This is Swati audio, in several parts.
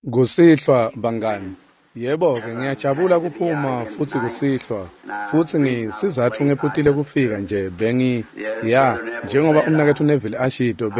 Kusihlwa bangani. Yebo-ke, ngiyajabula kuphuma futsi kusihlwa. Futsi ngisizatfu ngephutile kufika nje bengi ya, njengoba umnaketfu Neville ashito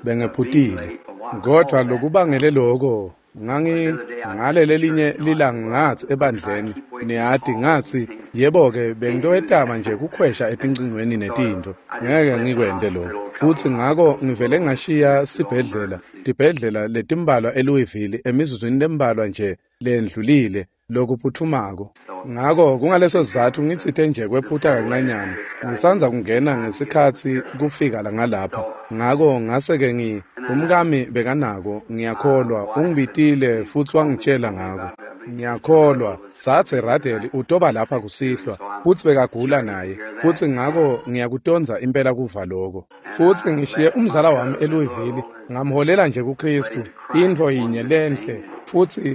bengephutile. Kodvwa lokubangele loko ngangi ngalelelinye lilanga ngatsi ebandleni, niyati ngatsi, yebo-ke bengitoyetama nje kukhwesha etincingweni netintfo, ngeke ngikwente lokho. Futsi ngako ngivele ngashiya sibhedlela, tibhedlela letimbalwa eLouisville emizuzwini lembalwa nje lendlulile lokuphuthumako. Ngako kungaleso sizatfu ngitsite nje kwephuta kancanyana. Ngisandza kungena ngesikhatsi kufika ngalapha. Ngako ngase-ke umkami bekanako, ngiyakholwa, ungibitile futsi wangitjela ngako. Ngiyakholwa, Dzadze Radel utoba lapha kusihlwa, futsi bekagula naye, futsi ngako ngiyakutondza impela kuva loko. Futsi ngishiye umzala wami eLouisville, ngamholela nje kuKhristu, intfo yinye lenhle,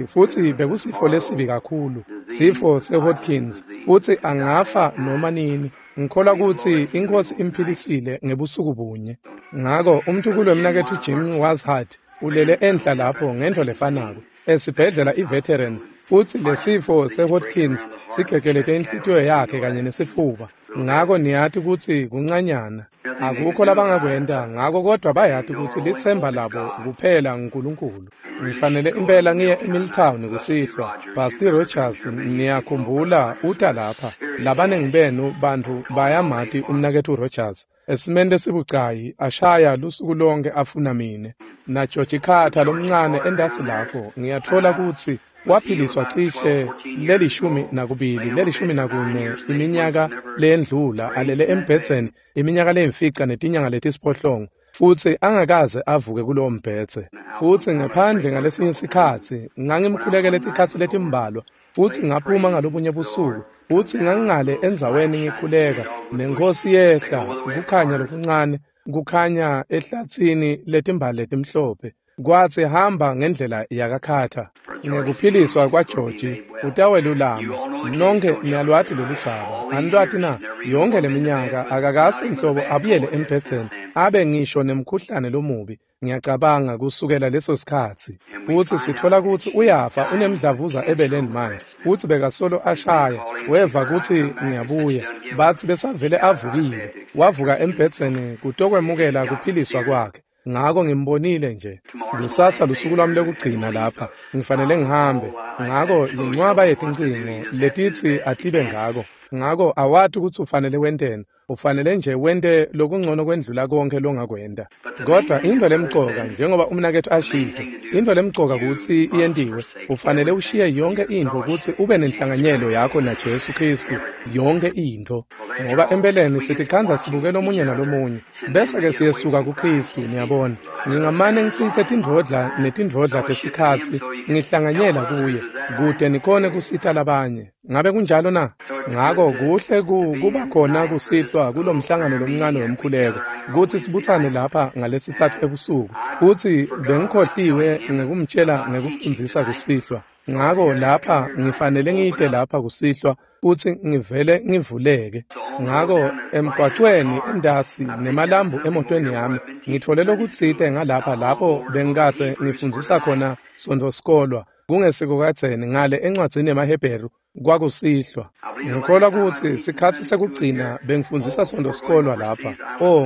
futsi bekusifo lesibi kakhulu, sifo seHodgkins, futsi angafa noma nini. Ngikholwa kutsi iNkhosi imphilisile ngebusuku bunye. Ngako umtukulu wemnaketfu Jim Washart ulele enhla lapho ngentfo lefanako esibhedlela iVeterans, futsi lesifo seHodgkins sigegelete inhlitiyo yakhe kanye nesifuba. Ngako niyati kutsi kuncanyana. Akukho labangakwenta ngako, kodvwa bayati kutsi litsemba labo kuphela nguNkulunkulu. Ngifanele impela ngiye eMilltown kusihlwa. Busty Rogers, niyakhumbula, uta lapha. Labanengi benu bantfu bayamati umnaketfu Rogers. Esimeni lesibucayi ashaya lusuku lonke afuna mine. Na George Carter lomncane entasi lapho, ngiyatfola kutsi waphiliswa cishe le-12, le-14 iminyaka leyendlula, alele embhedzeni iminyaka leyimfica netinyanga letisiphohlongo, futsi angakaze avuke kulowo mbhedze. Futsi ngephandle ngalesinye sikhatsi ngangimkhulekele tikhatsi letimbalwa, futsi ngaphuma ngalobunye busuku, futsi ngangingale endzaweni ngikhuleka, neNkhosi yehla, kukhanya lokuncane, kukhanya ehlatsini letimbali letimhlophe. Kwatsi hamba ngendlela yakaKhatha. Ngekuphiliswa kwaGeorge utawelulama. Nonke niyalwati loludzaba. Anilwati na? Yonke leminyaka akakase nhlobo abuyele embhedzeni, abe ngisho nemkhuhlane lomubi. Ngiyacabanga kusukela leso sikhatsi. Futsi sitfola kutsi uyafa, unemdlavuza ebeleni manje. Futsi bekasolo ashaya, weva kutsi ngiyabuya. Batsi besavele avukile. Wavuka embhedzeni kutokwemukela kuphiliswa kwakhe. Ngako ngimbonile nje. Kusasa lusuku lwami lokugcina lapha. Ngifanele ngihambe. Ngako yincwaba yetincingo letitsi atibe ngako. Ngako awati kutsi ufanele wenteni. Ufanele nje wente lokungcono kwendlula konke longakwenta. Kodwa intfo lemcoka, njengoba umnaketfu ashito, intfo lemcoka kutsi iyentiwe, ufanele ushiye yonke intfo kutsi ube nenhlanganyelo yakho naJesu Khristu, yonke intfo. Ngoba empeleni sitikhandza sibuke lomunye nalomunye, bese-ke siyesuka kuKhristu, niyabona. Ngingamane ngicitse tindvodla netindvodla tesikhatsi ngihlanganyela kuye, kute nikhone kusita labanye. Ngabe kunjalo na? Ngako kuhle kuba khona kusihlwa kulomhlangano lomncane wemkhuleko, kutsi sibutsane lapha ngalesitsatfu ebusuku. Futsi bengikhohliwe ngekumtjela ngekufundzisa kusihlwa. Ngako lapha ngifanele ngite lapha kusihlwa futsi ngivele ngivuleke. Ngako emgwacweni entasi nemalambu emotweni yami ngitfole lokutsite ngalapha lapho bengikadze ngifundzisa khona Sontfo sikolwa kungesiko kadzeni ngale encwadzini yemaHebheru kwakusihlwa. Ngikholwa kutsi sikhatsi sekugcina bengifundzisa Sontfo sikolwa lapha.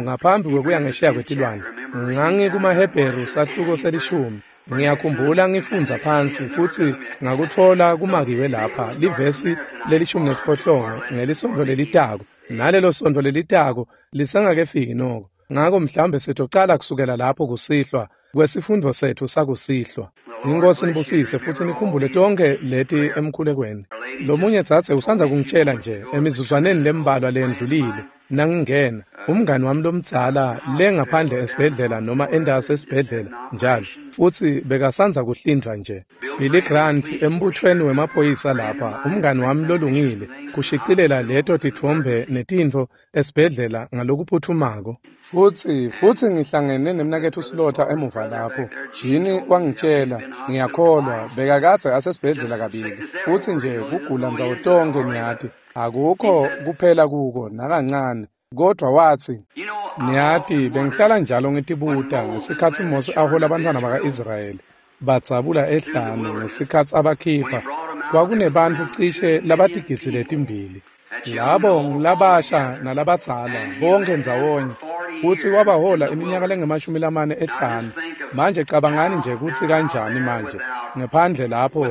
Ngaphambi kwekuya ngesheya kwetilwandle. NgangikumaHebheru sahluko se-10. Ngiyakhumbula ngifundza phansi futsi ngakutfola kumakiwe lapha livesi le-18 ngelisontfo lelitako, nalelo sontfo lelitako lisengakefiki noko. Ngako mhlawumbe sitocala kusukela lapho kusihlwa kwesifundvo setfu sakusihlwa. INkhosi nibusise futsi nikhumbule tonke leti emkhulekweni. Lomunye dzadze usandza kungitjela nje emizuzwaneni lembalwa lendlulile nangingena, umngani wami lomdzala le ngaphandle esibhedlela noma entasi esibhedlela njalo, futsi bekasandza kuhlindvwa nje. Billy Grant embuthweni wemaphoyisa lapha, umngani wami lolungile, kushicilela leto titfombe netintfo esibhedlela ngalokuphuthumako. Futsi ngihlangene nemnaketfu Slaughter emuva lapho. Jini wangitjela, ngiyakholwa, bekakadze asesibhedlela kabili. Futsi nje kugula ndzawo tonkhe niyati, akukho kuphela kuko nakancane. Kodvwa watsi, niyati, bengihlala njalo ngitibuta ngesikhatsi Mose ahola bantfwana baka-Israyeli. badzabula ehlane ngesikhatsi abakhipha, kwakunebantfu cishe labatigidzi letimbili. Labo ngulabasha nalabadzala bonke ndzawonye, futsi wabahola iminyaka lengamashumi lamane ehlane. Manje cabangani nje kutsi kanjani manje ngephandle lapho,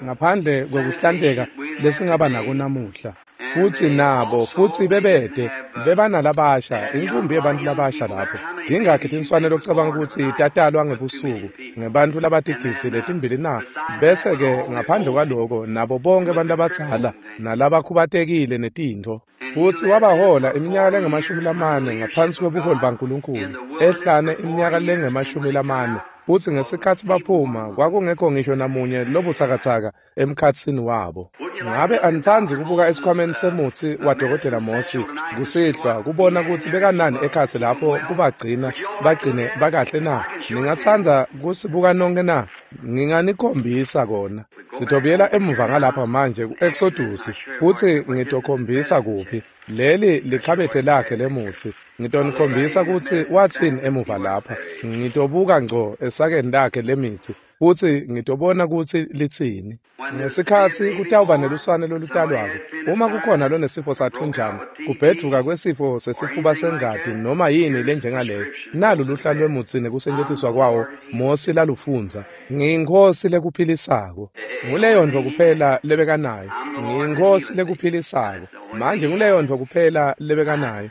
ngaphandle kwekuhlanteka lesingaba nako namuhla. Futsi nabo futsi bebede bebanalabasha, inkumbi yebantfu labasha lapho. Tingakhi tinswane locabanga kutsi tatalwa ngebusuku ngebantfu labatigidzi letimbili na? Bese-ke ngaphandle kwaloko nabo bonke abantu labadzala nalabakhubatekile netintfo. Futsi wabahola iminyaka lengamashumi lamane ngaphansi kwebuholi baNkulunkulu ehlane, iminyaka lengamashumi lamane, futsi ngesikhatsi baphuma kwakungekho ngisho namunye lobutsakatsaka emkhatsini wabo. Ngabe anitsandzi kubuka esikhwameni semutsi wadokotela Mosi kusihlwa kubona kutsi bekanani ekhatsi lapho kubagcina bagcine bakahle na? Ningatsandza kusibuka nonke na? Nginganikhombisa kona. Sitobuyela emuva ngalapha manje ku-Exodus futsi ngitokhombisa kuphi. Leli likhabethe lakhe lemutsi. Ngitonikhombisa kutsi watsini emuva lapha. Ngitobuka ngco esakeni lakhe lemitsi futsi ngitobona kutsi litsini. Ngesikhatsi kutawuba neluswane lolutalwako, uma kukhona lonesifo sathunjana, kubhedvuka kwesifo sesifuba sengati noma yini lenjengaleyo, nalu luhla lwemutsi nekusetjentiswa kwawo Mosi lalufundza. Ngiyinkhosi lekuphilisako. Nguleyo ntfo kuphela lebekanayo. Ngiyinkhosi lekuphilisako. Manje nguleyo ntfo kuphela lebekanayo.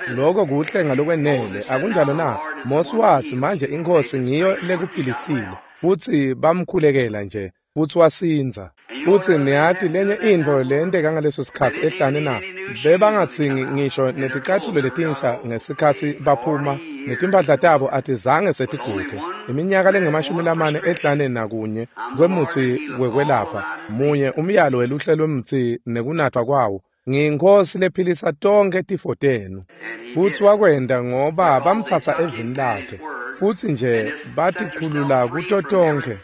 Lokho kuhle ngalokwenele, akunjalo na? Mosi watsi manje inkhosi ngiyo lekuphilisile, futsi bamkhulekela nje, futsi wasindza. Futsi niyati lenye intfo leyenteka ngaleso sikhatsi ehlane na? Bebangatsingi ngisho neticatfulo letinsha ngesikhatsi baphuma, netimphahla tabo atizange setiguge. Iminyaka lengamashumi lamane ehlane nakunye kwemutsi wekwelapha, munye umyalo weluhle lwemutsi nekunatfwa kwawo. Ngiyinkhosi lephilisa tonkhe tifo tenu. Futsi wakwenta ngoba bamtsatsa evini lakhe, futsi nje batikhulula kuto tonkhe.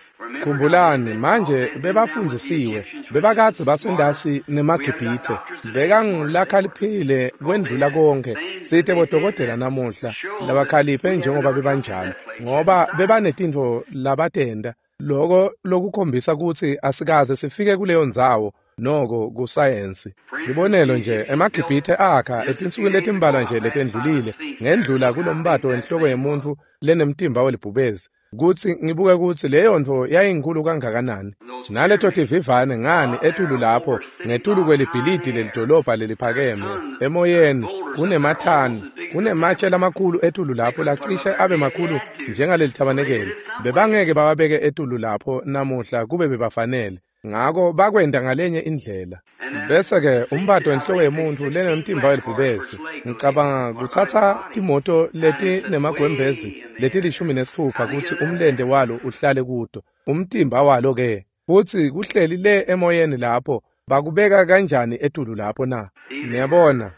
Khumbulani manje bebafundzisiwe, bebakadze basendasi nemaGibhithe. Bekangulakhaliphile kwendlula konke. Site bodokotela namuhla labakhaliphe njengoba bebanjalo, ngoba bebanetintfo labatenta. Loko lokukhombisa kutsi asikaze sifike kuleyo ndzawo noko kusayensi. Sibonelo nje, emaGibhithe akha etinsukwini letimbalwa nje letendlulile ngendlula kulombato wenhloko yemuntfu lenemtimba welibhubesi, kutsi ngibuke kutsi leyo ntfo yayinkhulu kangakanani. Naleto tivivane ngani etulu lapho ngetulu kwelibhilidi lelidolobha leliphakeme emoyeni kunemathani, kunematshe lamakhulu etulu lapho lacishe abe makhulu njengalelithabanekeli. Bebangeke bawabeke etulu lapho namuhla kube bebafanele. Ngako bakwenta ngalenye indlela. Bese-ke umbato wenhloko yemuntfu lenemtimba welibhubesi. Ngicabanga kutsatsa timoto letinemagwembezi leti-16 kutsi umlente walo uhlale kuto. Umtimba walo ke futsi kuhleli le emoyeni lapho, bakubeka kanjani etulu lapho na? Niyabona,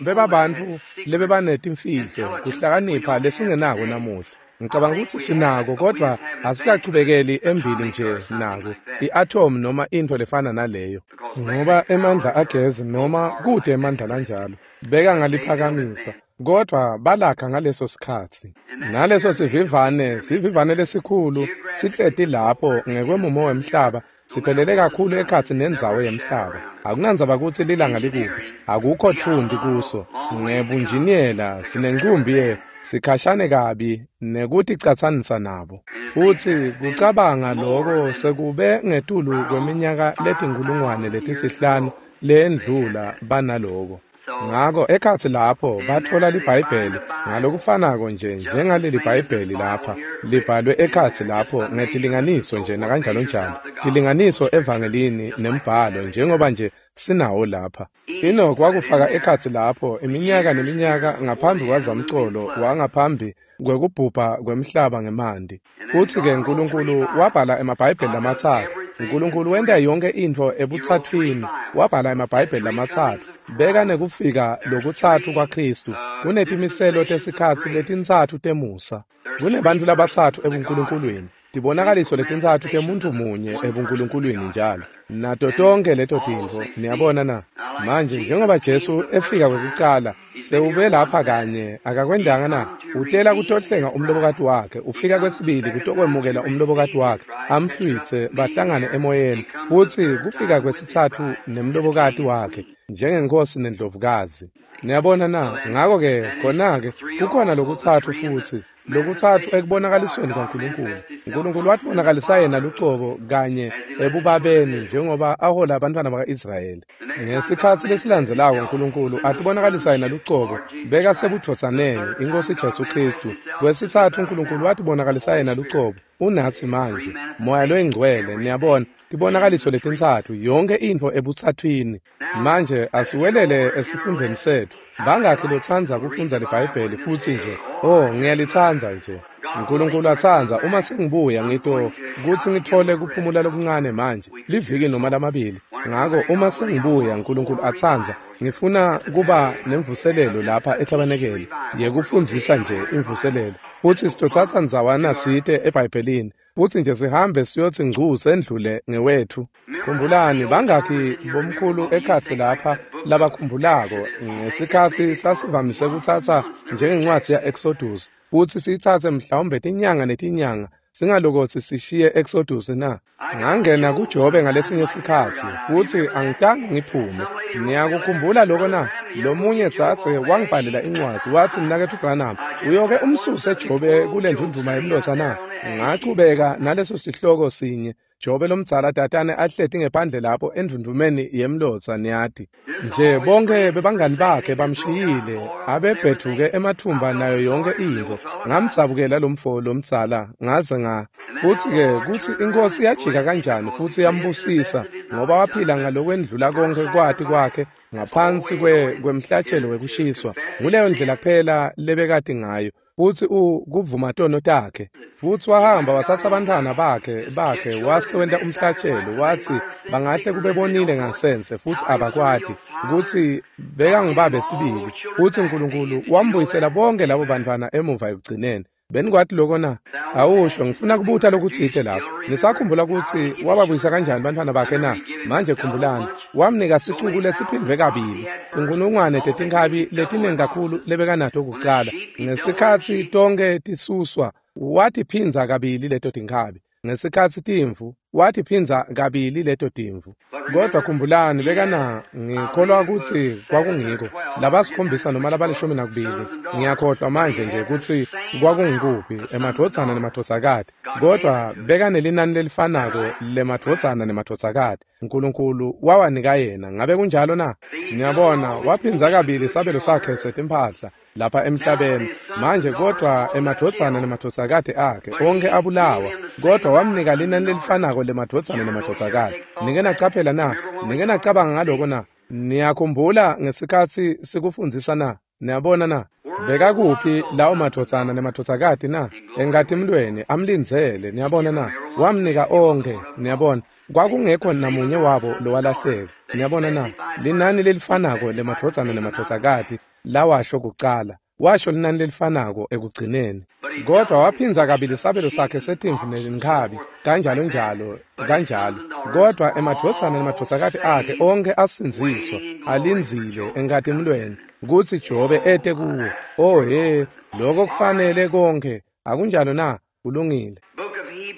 bebabantfu lebebanetimfihlo, kuhlakanipha lesingenako namuhla. Ngicabanga kutsi sinako, kodvwa asikachubekeli embili nje nako, i-atom noma intfo lefana naleyo. Ngoba emandla agezi noma kute emandla lanjalo, bekangaliphakamisa, kodvwa balakha ngaleso sikhatsi. Naleso sivivane, sivivane lesikhulu, sihleti lapho ngekwemumo wemhlaba, siphelele kakhulu ekhatsi nendzawo yemhlaba. Akunandzaba kutsi lilanga likuphi, akukho tfunti kuso. Ngebunjiniyela sinenkumbi sikhashane kabi nekuticatsanisa nabo. Futsi kucabanga loko sekube ngetulu kweminyaka letinkhulungwane letihlanu leyendlula banaloko. Ngako ekhatsi lapho batfola liBhayibheli ngalokufanako nje njengaleli Bhayibheli lapha libhalwe ekhatsi lapho ngetilinganiso nje nakanjalonjalo, tilinganiso evangelini nembhalo njengoba nje sinawo lapha. Enoch wakufaka ekhatsi lapho iminyaka neminyaka ngaphambi kwazamcolo wangaphambi kwekubhubha kwemhlaba ngemanti. Futsi-ke Nkulunkulu wabhala emaBhayibheli lamatsatfu. Nkulunkulu wenta yonke intfo ebutsatswini, wabhala emaBhayibheli lamatsatfu. Beka nekufika lokutsatfu kwaKhristu. Kunetimiselo tesikhatsi letintsatfu temusa. Kunebantfu labatsatfu ebuNkulunkulwini. Tibonakaliso letintsatfu temuntfu munye ebuNkulunkulwini njalo. Nato tonke leto tintfo, niyabona na? Manje njengoba Jesu efika kwekucala, sewube lapha kanye, akakwendanga na? Utela kutohlenga umlobokati wakhe, ufika kwesibili kutokwemukela umlobokati wakhe, amhlwitse bahlangane emoyeni, futsi kufika kwesitsatfu nemlobokati wakhe, njengenkosi nendlovukazi. Niyabona na? Ngako-ke, khona-ke, kukhona lokutsatfu futsi, lokutsatfu ekubonakalisweni kwaNkulunkulu. uNkulunkulu watibonakalisa yena lucobo kanye ebubabeni njengoba ahola abantwana baka-Israyeli. Ngesikhatsi lesilandzelako uNkulunkulu atibonakalisa yena lucobo beka sebudvodzaneni iNkosi Jesu Khristu. Kwesitsatfu uNkulunkulu watibonakalisa yena lucobo unatsi manje Moya loyingcwele. Niyabona, tibonakaliso letintsatfu, yonke intfo ebutsathwini. Manje asiwelele esifundweni setfu. Bangakhi lotsandza kufundza liBhayibheli futsi nje? Oh, ngiyalitsandza nje. uNkulunkulu atsandza, uma sengibuya ngito kutsi ngitfole kuphumula lokuncane manje, liviki noma lamabili. Ngako uma sengibuya, uNkulunkulu atsandza, ngifuna kuba nemvuselelo lapha etabenekeli yekufundzisa nje imvuselelo. Futsi sitotsatsa ndzawana tsite eBhayibhelini, futsi nje sihambe siyotsi ngcu sendlule ngewethu. Khumbulani, bangakhi bomkhulu ekhatsi lapha labakhumbulako ngesikhatsi sasivamise kutsatsa njengencwadzi ya-Exodus, futsi siyitsatse mhlawumbe tinyanga netinyanga singalokotsi sishiye Exodus na? Ngangena kuJobe ngalesinye sikhatsi futsi angitange ngiphume. Niyakukhumbula loko na? Lomunye dzadze wangibhalela incwadzi watsi, Mnaketfu Branham, uyoke umsuse Jobe kule ndvundvuma yemlotsa na? Ngachubeka naleso sihloko sinye. Jobe lomdzala tatane ahleti ngephandle lapho endvundvumeni yemlotsa, niyati. Nje bonke bebangani bakhe bamshiyile, abebhethuke emathumba nayo yonke intfo. Ngamdzabukela lomfo lomdzala ngaze nga. Futsi-ke kutsi iNkosi yajika kanjani futsi yambusisa, ngoba waphila ngalokwendlula konke kwati kwakhe ngaphansi kwemhlatshelo wekushiswa. Nguleyo ndlela kuphela lebekati ngayo. Futsi kuvuma tono takhe. Futsi wahamba watsatsa abantwana bakhe wase wenta umhlatshelo, watsi bangahle kube bonile ngasense futsi abakwati kutsi bekangubabe sibili. Futsi uNkulunkulu wambuyisela bonke labo bantwana emuva ekugcineni. Benikwati loko na? Awusho, ngifuna kubuta lokutsite lapho. Nisakhumbula kutsi wababuyisa kanjani bantwana bakhe na? Manje khumbulani, wamnika sicuku lesiphindvwe kabili, tinkhulungwane tetinkhabi letiningi kakhulu lebekanato kucala. Ngesikhatsi tonke tisuswa, watiphindza kabili leto tinkhabi. Ngesikhatsi timvu, watiphindza kabili leto timvu. Kodwa khumbulani, bekana, ngikholwa kutsi kwakungiko labasikhombisa noma labalishumi nakubili. Ngiyakhohlwa manje nje kutsi kwakungikuphi, emadvodzana nemadvodzakati. Kodwa bekanelinani lelifanako lemadvodzana nemadvodzakati. uNkulunkulu wawanika yena. Ngabe kunjalo na? Niyabona, waphindza kabili sabelo sakhe setimphahla lapha emhlabeni. Manje kodwa emadvodzana nemadvodzakati akhe onke abulawa, kodwa wamnika linani lelifanako lemadvodzana nemadvodzakati. Nike nacaphela na? Nike nacabanga ngaloko na? Niyakhumbula ngesikhatsi sikufundzisa na? Niyabona na? Bekakuphi lawo madvodzana nemadvodzakati na? Enkatimulweni amlindzele. Niyabona na? Wamnika onke. Niyabona, kwakungekho namunye wabo lowalahleka. Niyabona na? Linani lelifanako lemadvodzana nemadvodzakati lawasho kucala, washo linani lelifanako ekugcineni. Kodwa waphindza kabili sabelo sakhe setimvu nenkhabi, kanjalo njalo kanjalo. Kodwa emadvodzana nemadvodzakati akhe onke asindziswa, alindzile enkatimulweni kutsi Jobe ete kuwo. Oh he, lokho kufanele konke, akunjalo na? Kulungile.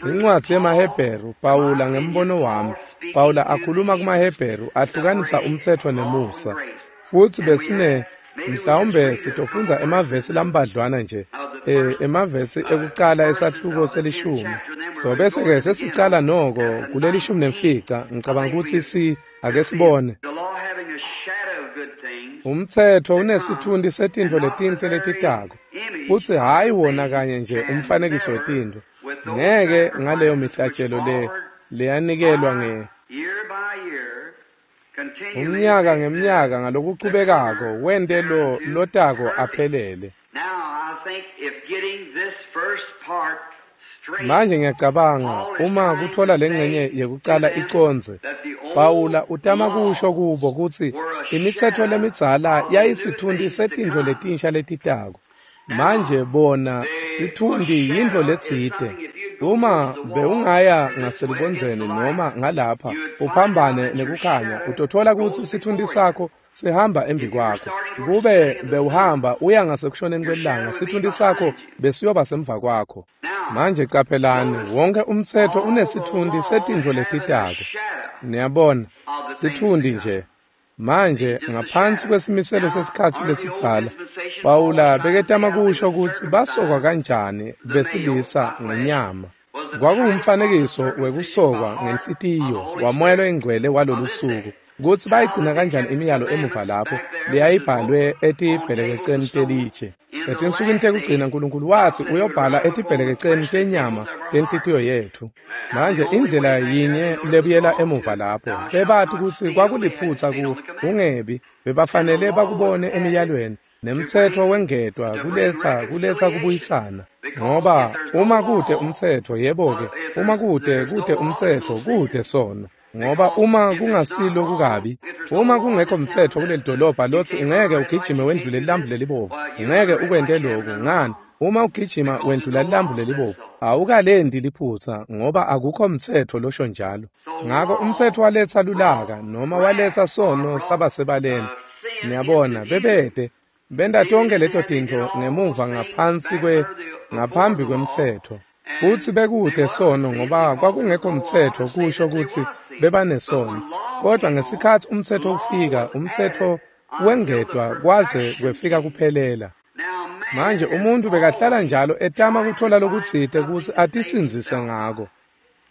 Incwadzi yemaHebheru, Pawula ngembono wami. Pawula akhuluma kumaHebheru ahlukanisa umtsetfo nemusa. Futsi besine mhlawumbe sitofundza emavesi lambadlwana nje, emavesi ekucala esahluko selishumi. So bese-ke sesicala noko kulelishumi nemfica. Ngicabanga kutsi ake sibone. Umtsetfo unesitfunti setintfo letinhle letitako, futsi hhayi wona kanye nje umfanekiso wetintfo. Ngeke ngaleyo mihlatshelo leyanikelwa nge umnyaka ngemnyaka ngalokuchubekako wente lo lotako aphelele. Manje ngiyacabanga uma kutfola lengcenye yekucala icondze, Pawula utama kusho kubo kutsi imitsetfo lemidzala yayisitfunti setintfo letinsha letitako. Manje bona sitfunti yintfo letsite. Uma bewungaya ngaselubondzeni noma ngalapha uphambane nekukhanya, utothola kutsi sitfunti sakho sihamba embi kwakho. Kube bewuhamba uya ngasekushoneni kwelanga, sitfunti sakho besiyoba semva kwakho. Manje caphelani, wonke umtsetfo unesitfunti setintfo letitako. Niyabona, sitfunti nje. Manje ngaphansi kwesimiselo sesikhatsi lesidzala, Pawula beketama kusho kutsi basokwa kanjani besilisa ngenyama. Kwakungumfanekiso wekusokwa ngenhlitiyo waMoya loyiNgcwele walolu suku, kutsi bayigcina kanjani imiyalo emuva lapho leyayibhalwe etibhelekeceni telitshe. Etinsukwini tekugcina Nkulunkulu watsi uyobhala etibhelekeceni tenyama tenhlitiyo yetfu. Manje indlela yinye lebuyela emuva lapho, bebati kutsi kwakuliphutsa kungebi, bebafanele bakubone emiyalweni, nemtsetfo wengetwa kuletsa kubuyisana. Ngoba uma kute umtsetfo, yebo-ke, uma kute umtsetfo, kute sono. Ngoba uma kungasilo kukabi, uma kungekho mtsetfo kuleli dolobha lotsi ungeke ugijime wendlule lilambu lelibovu, ungeke ukwente loku, ngani? Uma ugijima wendlula lilambu lelibovu, awukalendi liphutsa, ngoba akukho mtsetfo losho njalo. Ngako umtsetfo waletsa lulaka noma waletsa sono sabasebaleni. Niyabona, bebete benta tonke leto tintfo ngemuva ngaphambi kwemtsetfo. Futsi bekute sono ngoba kwakungekho mtsetfo kusho kutsi bebanesono. Kodwa ngesikhatsi umtsetfo ufika, umtsetfo wengetwa kwaze kwefika kuphelela. Manje umuntu bekahlala njalo etama kuthola lokutsite kutsi atisindzise ngako.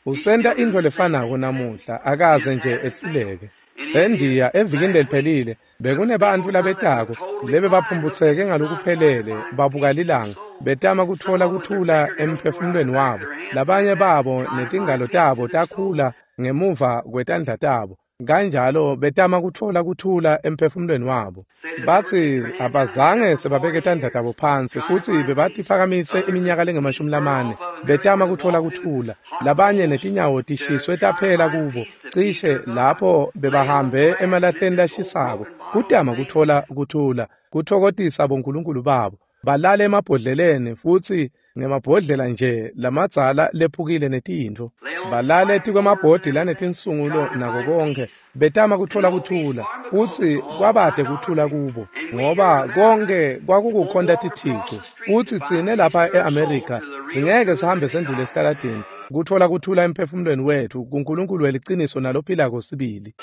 Usenta intfo lefanako namuhla, akaze nje ehluleke. ENdiya evikini leliphelile bekunebantfu labetako lebebaphumputseke ngalokuphelele babuka lilanga, betama kutfola kuthula emphefumulweni wabo. Labanye babo netingalo tabo takhula ngemuva kwetandla tabo, kanjalo betama kutfola kuthula emphefumulweni wabo. Batsi abazange sebabeke tandla tabo phansi futsi bebatiphakamise iminyaka lengama-40 betama kutfola kuthula. Labanye netinyawo tishiswe taphela kubo, cishe lapho bebahambe emalahleni lashisako kutama kutfola kuthula, kutfokotisa bonkulunkulu babo. Balale emabhodleleni futsi ngemabhodlela nje lamadzala lephukile netintfo. Balale tikwemabhodi lanetinsungulo nako konke, betama kutfola kuthula, futsi kwabade kuthula kubo, ngoba konke kwakukukhonta tithixo. Futsi tsine lapha e-Amerika singeke sihambe sendlule esitaladini kutfola kuthula emphefumulweni wetfu kuNkulunkulu weliciniso nalophilako sibili.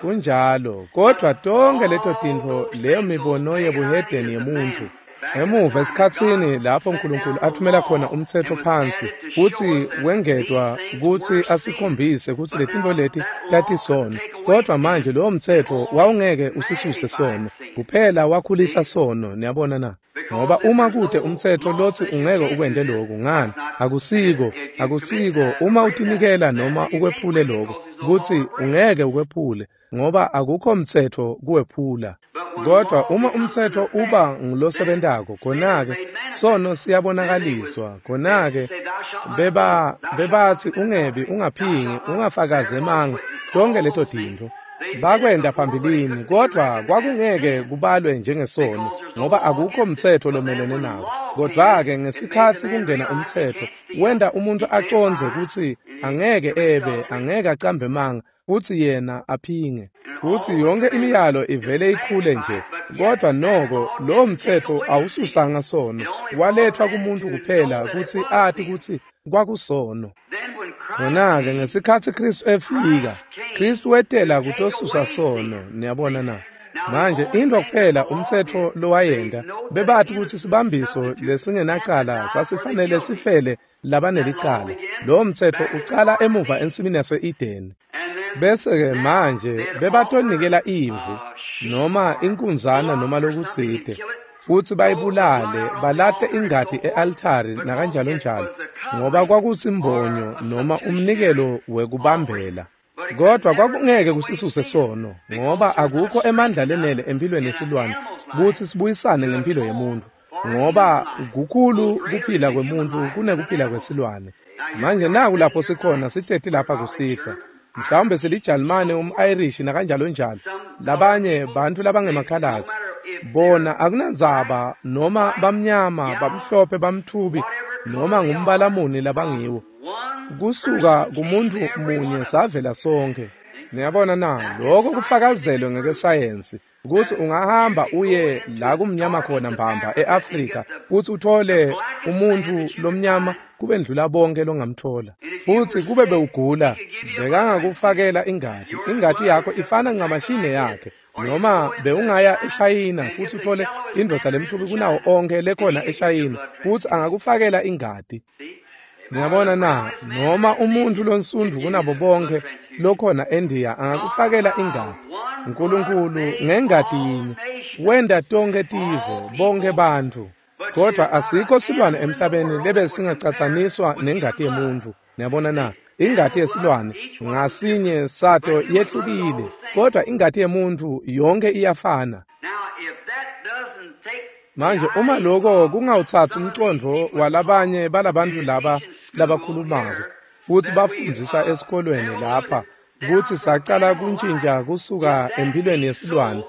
Kunjalo, kodvwa tonke leto tintfo, leyo mibono yebuhedeni yemuntfu, emuva esikhatsini lapho Nkulunkulu athumela khona umtsetfo phansi futsi wengetwa kutsi asikhombise kutsi letintfo leti tatisono. Kodvwa manje lowo mtsetfo wawungeke usisuse sono, kuphela wakhulisa sono. Niyabona na? Ngoba uma kute umtsetfo lotsi ungeke ukwente loku, ngani? Akusiko uma utinikela noma ukwephule lokho, kutsi ungeke ukwephule, ngoba akukho mtsetfo kuwephula. Kodwa uma umtsetfo uba ngulosebentako, khona-ke sono siyabonakaliswa. Khona-ke bebatsi ungebi, ungaphingi, ungafakazi emanga, tonke leto tintfo bakwenta phambilini, kodvwa kwakungeke kubalwe njengesono ngoba akukho mtsetfo lomelene nako. Kodvwa-ke ngesikhatsi kungena umtsetfo, wenta umuntu acondze kutsi angeke ebe, angeke acambe emanga, futsi yena aphinge. Futsi yonke imiyalo ivele ikhule nje, kodvwa noko lowo mtsetfo awususanga sono, walethwa kumuntu kuphela kutsi ati kutsi kwakusono. Khona-ke ngesikhatsi Khristu efika, Khristu wetela kutosusa sono. Niyabona na? Manje intfo kuphela umtsetfo lowayenta, bebati kutsi sibambiso lesingenacala sasifanele sifele labanelicala. Lowo mtsetfo ucala emuva ensimini yase-Edeni. Bese-ke manje bebatonikela imvu noma inkunzana noma lokutsite, futsi bayibulale, balahle ingati e-altari nakanjalo njalo, ngoba kwakusimbonyo noma umnikelo wekubambela. Kodvwa kwakungeke kusisuse sono, ngoba akukho emandla lenele empilweni yesilwane kutsi sibuyisane ngempilo yemuntfu, ngoba kukhulu kuphila kwemuntfu kunekuphila kwesilwane. Manje naku lapho sikhona sihleti lapha kusihlwa. Mhlawumbe siliJalimane, um-Irish nakanjalo njalo. Labanye bantfu labangemakhalatsi. Bona akunandzaba noma bamnyama, bamhlophe, bamthubi noma ngumbalamuni labangiwo. Kusuka kumuntu munye savela sonke. Niyabona na, lokho kufakazelwe ngekwesayensi ukuthi ungahamba uye la kumnyama khona mbamba eAfrika futhi uthole umuntu lomnyama kubendlula bonke longamthola. Futhi kube bewugula bekangakufakela ingati. Ingati yakho ifana ncamashine yakhe. Noma bewungaya eShayina futhi uthole indvodza lemthubi kunawo onke lekhona eShayina futhi angakufakela ingati. Niyabona na, noma umuntu lonsundu kunabo bonke lokhona eNdiya angakufakela ingati. uNkulunkulu ngengati yinye wenda tonke tive, bonke bantfu. Kodwa asikho silwane emhlabeni lebe singacatsaniswa nengati yemuntu. Niyabona na, ingati yesilwane ngasinye sato yehlukile, kodwa ingati yemuntu yonke iyafana. Manje uma lokho kungawuthatha umqondo walabanye balabantu laba labakhulumako futhi bafundzisa esikolweni lapha ukuthi sacala kuntshintsha kusuka empilweni yesilwane.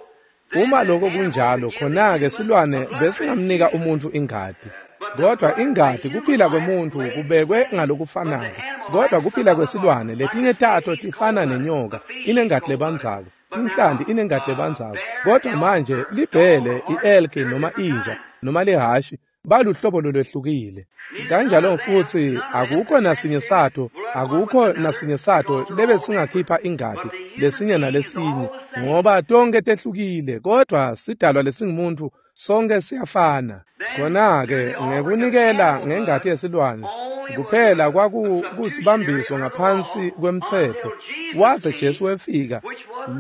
Uma lokho kunjalo, khona-ke silwane besingamnika umuntu ingati. Kodwa ingati kuphila kwemuntu kubekwe ngalokufanako. Kodwa kuphila kwesilwane letinye tato tifana nenyoka, inengati lebandzako. Inhlanti inengati lebandzako. Kodwa manje libhele, i-elki noma inja noma lihashi baluhlobo lolwehlukile. Kanjalo futhi akukho nasinye sato, akukho nasinye sato lebe singakhipha ingati lesinye nalesinye, ngoba tonke tehlukile, kodwa sidalwa lesingumuntu sonke siyafana. Khona-ke ngekunikela ngengati yesilwane kuphela kwakusibambiso ngaphansi kwemtsetfo. Waze Jesu wefika,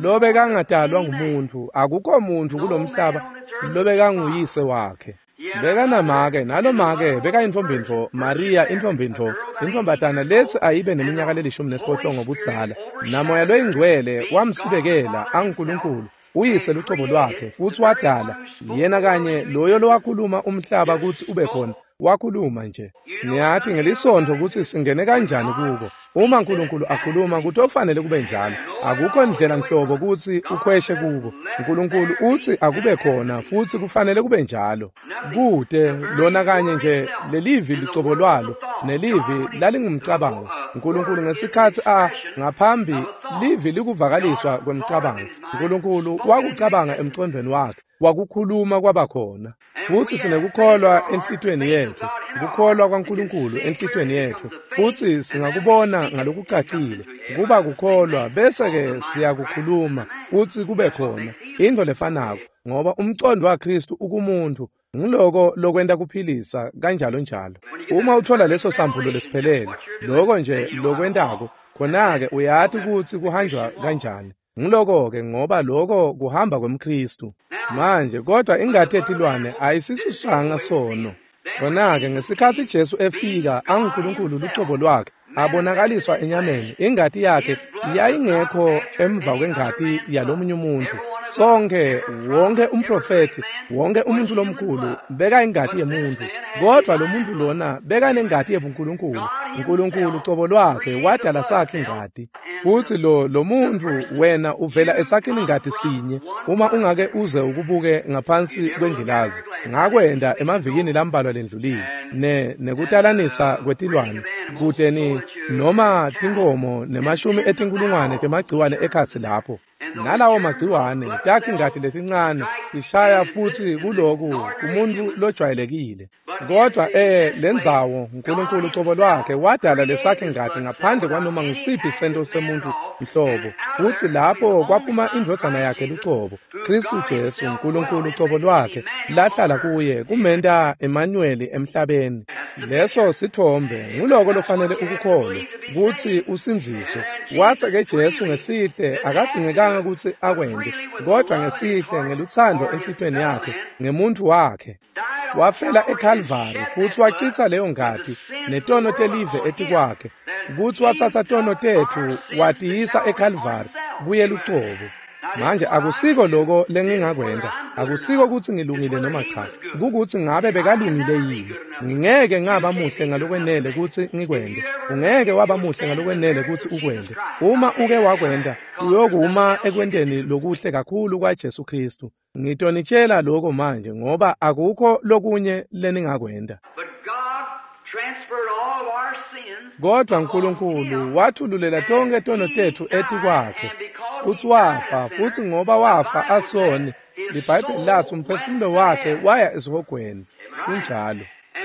lobekangadalwa ngumuntu, akukho muntu kulomhlaba lobekanguyise wakhe. Bekanamake, nalomake bekayintombi Maria intombi, intombatana lethi ayibe neminyaka le-18 ngobudzala. Namoya loyingcwele wamsibekela anguNkulunkulu uyise lucobo lwakhe, futhi wadala yena kanye loyo lowakhuluma umhlaba ukuthi ube khona. Wakhuluma nje. Niyathi ngelisonto ukuthi singene kanjani kuko. Uma uNkulunkulu akhuluma kutofanele kube njalo. Akukho ndlela nhlobo ukuthi ukhweshe kuko. uNkulunkulu uthi akube khona futhi kufanele kube njalo. Kude lona kanye nje lelivi licobo lwalo nelivi lalingumcabango. uNkulunkulu ngesikhathi ngaphambi livi likuvakaliswa kwemcabango. uNkulunkulu wakucabanga emqondweni wakhe, wakukhuluma kwabakhona. Futhi sinekukholwa enhlitweni yethu, ukukholwa kwaNkulunkulu enhlitweni yethu, futhi singakubona ngalokucacile kuba kukholwa, bese-ke siyakukhuluma futhi kube khona into lefanako, ngoba umqondo waKristu ukumuntu. Ngiloko lokwenta kuphilisa kanjalo njalo. Uma uthola leso sambulo lesiphelele, lokho nje lokwentako, khona-ke uyati ukuthi kuhanjwa kanjani. Ngiloko-ke ngoba lokho kuhamba kwemKristu. Manje kodwa ingati yetilwane ayisisusanga sono. Khona-ke ngesikhathi Jesu efika anguNkulunkulu lucobo lwakhe abonakaliswa enyameni, ingati yakhe yayingekho emva kwengati yalomunye umuntu. Sonke, wonke umprofethi, wonke umuntu lomkhulu beka ingati yemuntu, kodwa lo muntu lona beka nengati yebuNkulunkulu. uNkulunkulu ucobo lwakhe wadala sakhe ingati. Futhi lo muntu wena uvela esakhini ingati sinye uma ungake uze ukubuke ngaphansi kwengilazi. Ngakwenda emavikini lambalwa lendlulile nekutalanisa kwetilwane kude ni noma tinkomo nemashumi etinkulungwane temagciwane ekhatsi lapho. Nalawo magciwane takhe ingati letincane tishaya futhi kuloku umuntu lojwayelekile. Kodwa lendzawo uNkulunkulu ucobo lwakhe wadala lesakhe ingati ngaphandle kwanoma ngusiphi sento semuntu mhlobo. Futhi lapho kwaphuma indvodzana yakhe lucobo, Kristu Jesu, uNkulunkulu ucobo lwakhe lahlala kuye kumenta Emmanuel emhlabeni. Leso sithombe nguloko lofanele ukukholwe ukuthi usindziswe. Wase-ke Jesu ngesihle akadzingekanga ukuthi akwente, kodwa ngesihle ngeluthando enhlitweni yakhe ngemuntu wakhe wafela eCalvary futhi wachitha leyo ngati netono telive etikwakhe, ukuthi wathatha tono tethu watiyisa eCalvary kuye lucobo. Manje akusiko lokho lengingakwenta, akusiko kutsi ngilungile noma cha, kukutsi ngabe bekalungile yini. Ngingeke ngaba muhle ngalokwenele kutsi ngikwente, ungeke waba muhle ngalokwenele kutsi ukwente. Uma uke wakwenta, uyokuma ekwenteni lokuhle kakhulu kwaJesu Kristu. Ngitonitshela lokho manje ngoba akukho lokunye leningakwenta. Kodwa uNkulunkulu wathululela tonke tono tetfu etikwakhe, futsi wafa, futsi ngoba wafa asoni, liBhayibheli latsi umphefumulo wakhe waya esihogweni. Kunjalo.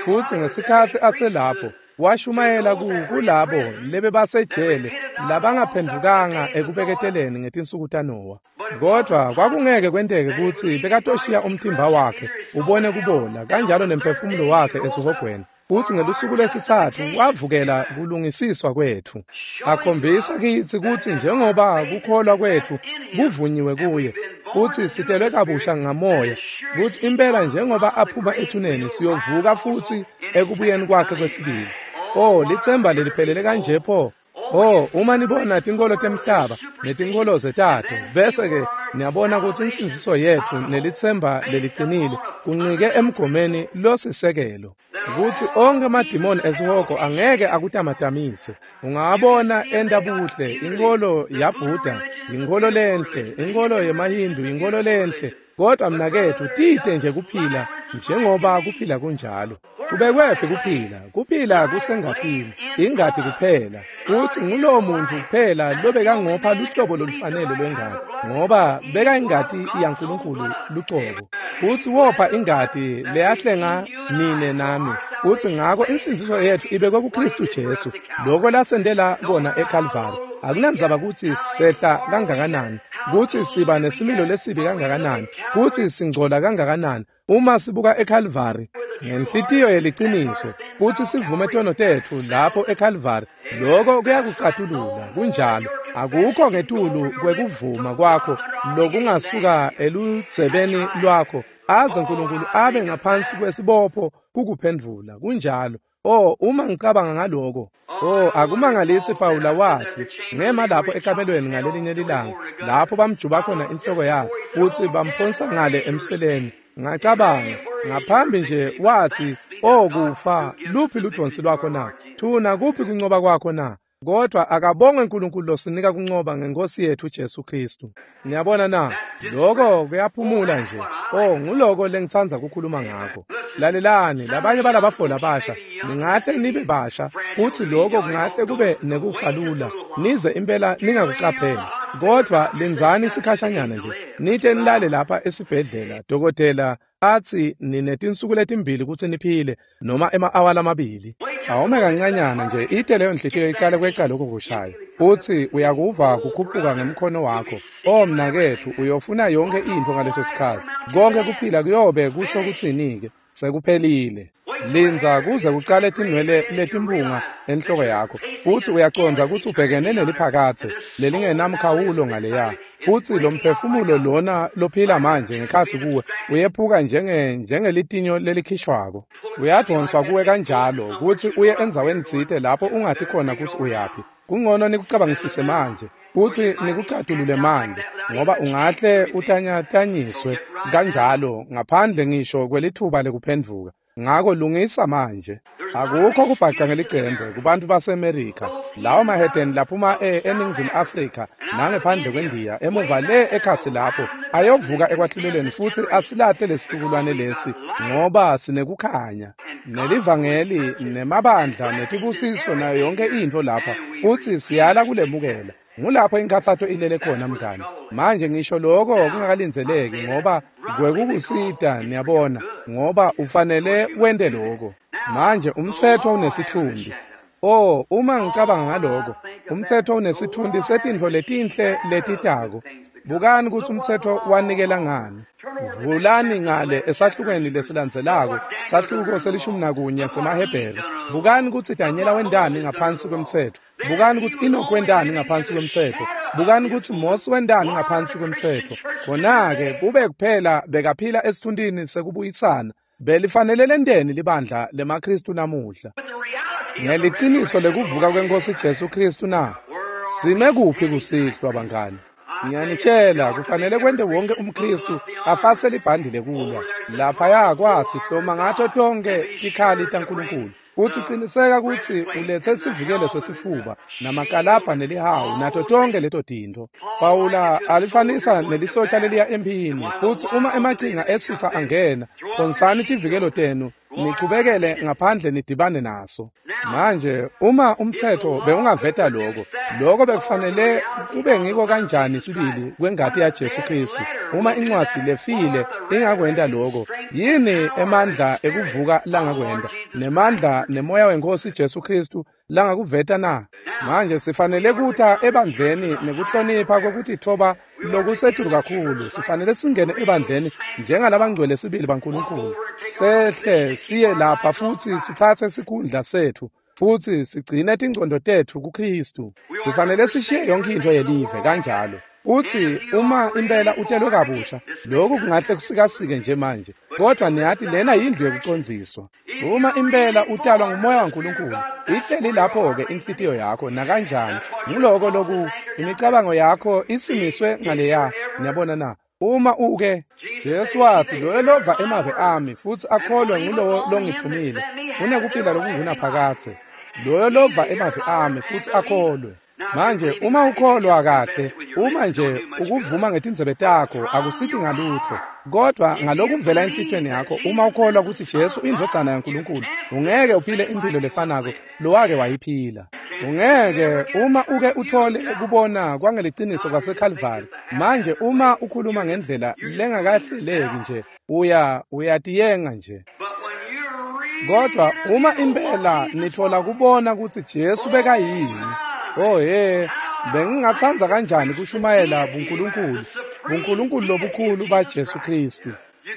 Futsi ngesikhatsi aselapho, washumayela kulabo lebebasejele labangaphendvukanga ekubeketeleni ngetinsuku taNowa. Kodwa kwakungeke kwenteke kutsi bekatoshiya umtimba wakhe ubone kubola kanjalo nemphefumulo wakhe esihogweni. Futsi ngelusuku lwesitsatfu wavukela kulungisiswa kwetfu, akhombisa kitsi kutsi njengoba kukholwa kwetfu kuvunyiwe kuye futsi sitelwe kabusha ngamoya, kutsi impela njengoba aphuma ethuneni siyovuka futsi ekubuyeni kwakhe kwesibili. Oh, litsemba leliphelele kanje pho! Oh, uma nibona tinkolo temhlaba netinkholo zetato, bese-ke niyabona kutsi insindziso yetfu nelitsemba leliqinile kuncike emgomeni losisekelo, kutsi onkhe amadimoni esihogo angeke akutamatamise. Ungabona enta buhle, inkholo yaBuddha, inkholo lenhle, inkholo yemaHindu, inkholo lenhle, kodwa mnaketfu tite nje kuphila njengoba kuphila kunjalo. Kubekwephi kuphila? Kuphila kusengatini, ingati kuphela. Kutsi ngulowo muntu kuphela lobekangopha luhlobo lolufanele lwengati, ngoba beka ingati yaNkulunkulu lucobo. Futsi wopha ingati leyahlenga nine nami. Futsi ngako insindziso yetfu ibekwe kuKristu Jesu, lokho lasentela kona eKalvari. Akunandzaba kutsi sehla kangakanani, kutsi siba nesimilo lesibi kangakanani, kutsi singcola kangakanani, uma sibuka eKalvari ngenhlitiyo yeliciniso kutsi sivume tono tetfu lapho eKalvari, lokho kuyakucatulula. Kunjalo. Akukho ngetulu kwekuvuma kwakho lokungasuka eludzebeni lwakho aze uNkulunkulu abe ngaphansi kwesibopho kukuphendvula. Kunjalo. Oh, uma ngicabanga ngaloko, oh, akumangalisi Pawula watsi ngema lapho ekamelweni ngalelinye lilanga lapho bamjuba khona inhloko yakhe kutsi bamphonsa ngale emseleni. Ngacabanga ngaphambi nje wathi, "Oh kufa, luphi ludvonsi lwakho na? Thuna kuphi kuncoba kwakho na?" Kodwa akabongwe uNkulunkulu losinika kuncoba ngenkosi yethu Jesu Kristu. Niyabona na? Lokho kuyaphumula nje. Oh, nguloko lengitsandza kukhuluma ngakho. Lalelani, labanye balabafo labasha, ningahle nibe basha, kutsi lokho kungahle kube nekufa lula, nize impela ningakucapheli. Kodwa lindzani sikhashanyana nje, nite nilale lapha esibhedlela, dokotela athi ninetinsuku letimbili kutsi niphile noma ema-awa lamabili. Awume kancanyana nje, ite leyo nhliziyo iqale kweca lokho kushaya, futsi uyakuva kukhuphuka ngemkhono wakho. Oh mnaketfu, uyofuna yonke intfo ngaleso sikhatsi. Konke kuphila kuyobe kusho kutsini-ke? Sekuphelile. Lindza kuze kucale tinwele letimpunga enhloko yakho, futsi uyacondza kutsi ubhekene neliphakatse lelingenamkhawulo ngaleya. Futsi lo mphefumulo lona lophila manje ngekhatsi kuwe uyephuka njengelitinyo lelikhishwako. Uyadvonswa kuwe kanjalo kutsi uye endzaweni tsite lapho ungati khona kutsi uyaphi. Kungcono nikucabangisise manje futsi nikucatulule manje, ngoba ungahle utanyatanyiswe kanjalo ngaphandle ngisho kwelithuba lekuphendvuka. Ngako lungisa manje. Akukho kubhaca ngelicembe kubantu baseMerika, lawo mahedeni laphuma eNingizimu Afrika nangephandle kweNdiya, emuva le ekhatsi lapho ayovuka ekwahlulelweni futsi asilahle lesitukulwane lesi, ngoba sinekukhanya nelivangeli nemabandla netibusiso nayo yonke intfo lapha, futsi siyala kulemukela. Ngulapho inkhatsato ilele khona mngani. Manje ngisho lokho kungakalindzeleki ngoba kwekukusita, niyabona, ngoba ufanele wente lokho. Manje umtsetfo unesitfundi. Oh, uma ngicabanga ngaloko, umtsetfo unesitfundi setintfo letinhle letitako. Bukani kutsi umtsetfo wanikela ngani. Vulani ngale esahlukweni lesilandzelako, sahluko se-11 semaHebheru. Bukani kutsi Danyela wentani ngaphansi kwemtsetfo. Bukani kutsi Enoch wentani ngaphansi kwemtsetfo. Bukani kutsi Mose wentani ngaphansi kwemtsetfo. Khona-ke kube kuphela bekaphila esithuntini sekubuyisana. Belifanele lenteni libandla lemaKristu namuhla? Ngeliciniso lekuvuka kweNkosi Jesu Kristu na? Sime kuphi kusihlwa bangani? Ngiyanitshela, kufanele kwente wonke umKristu afase libhandi lekulwa. Laphaya kwathi hloma ngato tonke tikhali taNkulunkulu. Uthi qiniseka ukuthi ulethe sivikelo sesifuba namakalabha nelihawu nato tonke leto tintfo. Pawula alifanisa nelisotsha leliya emphini, futhi uma emachinga esitha angena, phonsani tivikelo tenu nichubekele ngaphandle nidibane naso. Manje uma umthetho bewungaveta lokho, lokho bekufanele kube ngiko kanjani sibili kwengati yaJesu Kristu? Uma incwadi lefile ingakwenta lokho, yini emandla ekuvuka langakwenta, nemandla nemoya wenkosi Jesu Kristu langakuveta na? Manje sifanele kuta ebandleni nekuhlonipha kokutithoba lokusetulu kakhulu. Sifanele singene ebandleni njengalabangcwele sibili baNkulunkulu, sehle siye lapha futhi sithathe sikhundla sethu futhi sigcine tingcondo tethu kuKristu. Sifanele sishiye yonke into yelive kanjalo. Uthi uma impela utelwe kabusha, lokhu kungahle kusikasike nje manje, kodwa niyathi lena yindlu yokucondziswa. Uma impela utalwa ngumoya waNkulunkulu, ihleli lapho-ke inhlitiyo yakho nakanjani. Nguloko loku imicabango yakho isimiswe ngaleya. Niyabona na? Uma uke Jesu wathi, loyo lova emave ami futhi akholwe ngulowo longithumile unekuphila lokungunaphakadze. Loyo lova emave ami futhi akholwe. Manje uma ukholwa kahle, uma nje ukuvuma ngetindzebe takho akusithi ngalutho, kodwa ngalokuvela enhlitiyweni yakho, uma ukholwa ukuthi Jesu indvodzana yaNkulunkulu, ungeke uphile impilo lefanako lowake wayiphila. Ungeke uma uke uthole kubona kwangeliciniso kwaseKalvari. Manje uma ukhuluma ngendlela lengakahleleki nje, uyatiyenga nje. Kodwa uma impela nithola kubona ukuthi Jesu bekayini, oh he, bengingatsandza kanjani kushumayela buNkulunkulu, buNkulunkulu lobukhulu baJesu Kristu.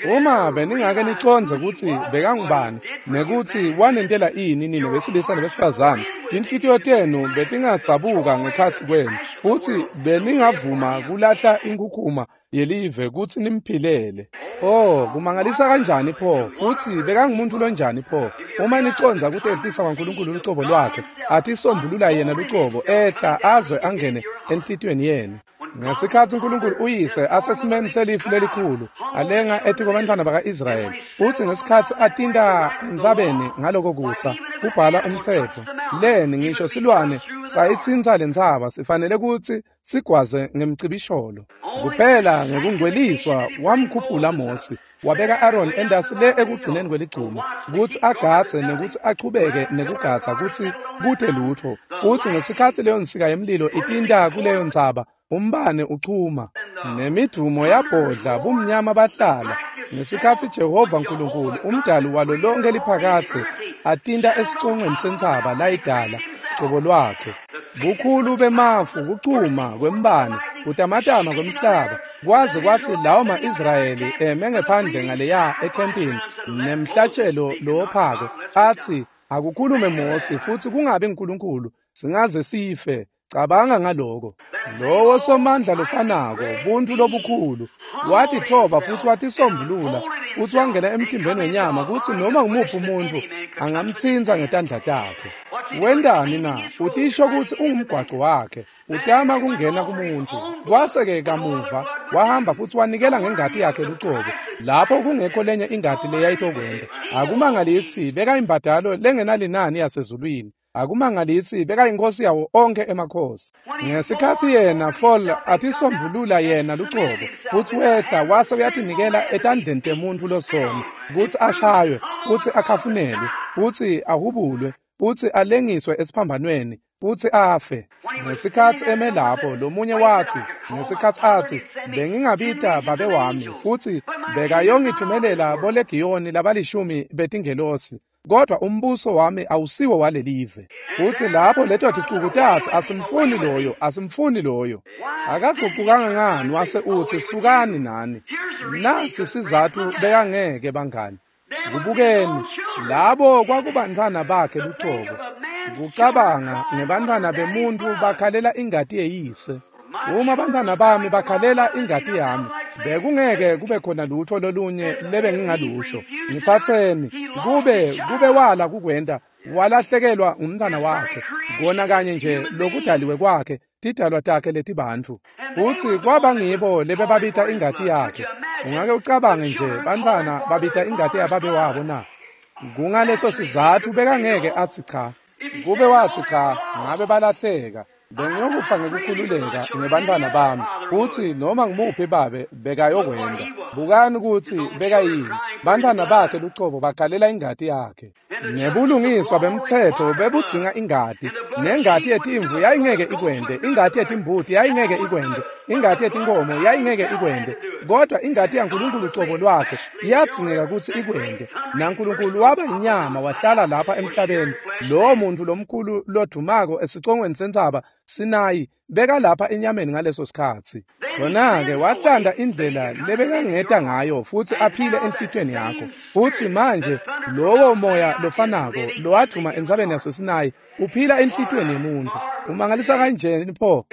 Uma beningake nicondze ukuthi bekangubani nekuthi wanentela ini nina besilisa nebesifazane, tinhlitiyo tenu betingadzabuka ngekhatsi kwenu, futhi beningavuma kulahla inkhukhuma yelive kutsi nimphilele. Oh, kumangalisa kanjani pho, futhi bekangumuntu lonjani pho. Uma nicondza ukuthi ehlisa kwaNkulunkulu lucobo lwakhe, atisombulula yena lucobo, ehla aze angene enhlitiyweni yenu. Ngesikhatsi uNkulunkulu uyise asesimeni selifu lelikhulu alenga etikwabantwana baka-Israyeli, futhi ngesikhatsi atinta entsabeni ngaloko kusa kubhala umtsetfo, leni ngisho silwane sayitsintsa lentsaba sifanele kutsi sigwaze ngemcibisholo. Kuphela ngekungcweliswa wamkhuphula Mosi, wabeka Aaron endasi le ekugcineni kweligcuma kutsi agadze nekutsi achubeke nekugadza kutsi kute lutfo. Kutsi ngesikhatsi leyo nsika yemlilo itinta kuleyo ntsaba, umbane uchuma nemidumo yabhodla, bumnyama bahlala. Ngesikhatsi Jehova Nkulunkulu umdali walo lonke liphakadze atinta esicongweni sentsaba layidala cobo lwakhe, bukhulu bemafu, kuchuma kwembane, kutamatama kwemhlaba, kwaze kwatsi lawo ma-Israyeli eme ngephandle ngaleya ekhempini nemhlatshelo lowophako, athi akukhulume Mosi futhi kungabi uNkulunkulu, singaze sife. Cabanga ngaloko. Lowo somandla lofanako, buntfu lobukhulu, watitfoba futhi watisombulula, futhi wangena emtimbeni wenyama kutsi noma ngumuphi umuntfu angamtsintsa ngetandla takhe. Wentani na? Utisho kutsi ungumgwaco wakhe, utama kungena kumuntu. Kwase-ke kamuva wahamba futhi wanikela ngengati yakhe lucobo, lapho kungekho lenye ingati leyayitokwenta. Akumangalisi bekayimbadalo lengenalinani yasezulwini. Akumangalisi bekayinkosi yawo onke emakhosi. Ngesikhatsi yena Fall atisombulula yena lucobo, futsi wehla wase uyatinikela etandleni temuntfu losono, kutsi ashaywe, kutsi akhafunelwe, futsi ahubulwe, futsi alengiswe esiphambanweni, futsi afe. Ngesikhatsi eme lapho, lomunye watsi, ngesikhatsi atsi, bengingabita babe wami, futsi bekayongithumelela bolegiyoni labalishumi betingelosi, kodwa umbuso wami awusiwo walelive. Futsi lapho leto ticuku tatsi, asimfuni loyo, asimfuni loyo. Akagucukanga ngani wase utsi, sukani nani. Nasi sizatfu bekangeke bangani. Kubukeni, labo kwakubantfwana bakhe lucobo. Kucabanga ngebantfwana bemuntu bakhalela ingati yeyise. Uma bantfwana bami bakhalela ingati yami, bekungeke kube khona lutho lolunye lebengingalusho. Ngitsatseni, kube wala kukwenta, Walahlekelwa ngumntwana wakhe, kona kanye nje lokudaliwe kwakhe, tidalwa takhe letibantfu. Futsi kwaba ngibo lebebabita ingati yakhe. Ungake ucabange nje bantfwana babita ingati yababe wabo na? Kungaleso sizatfu bekangeke atsi cha. Kube watsi cha, ngabe balahleka. Bengiyokufa ngekukhululeka ngebantfwana bami, futsi noma ngumuphi babe bekayokwenta. Bukani kutsi bekayini. Bantfwana bakhe lucobo bagalela ingati yakhe. Nebulungiswa bemtsetfo bebudzinga ingati, nengati yetimvu yayingeke ikwente, ingati yetimbuti yayingeke ikwente, ingati yetinkomo yayingeke ikwente, kodwa ingati yaNkulunkulu cobo lwakhe iyadzingeka kutsi ikwente. NaNkulunkulu waba inyama wahlala lapha emhlabeni. Lowo muntu lomkhulu lodumako esicongweni sentsaba Sinayi bekalapha enyameni ngaleso sikhatsi. Khona-ke wahlanda indlela lebekangeta ngayo futsi aphile enhlitiyweni yakho. Futsi manje lowo moya lofanako lowadvuma entsabeni yaseSinayi uphila enhlitiyweni yemuntfu. Umangalisa kanjeni pho?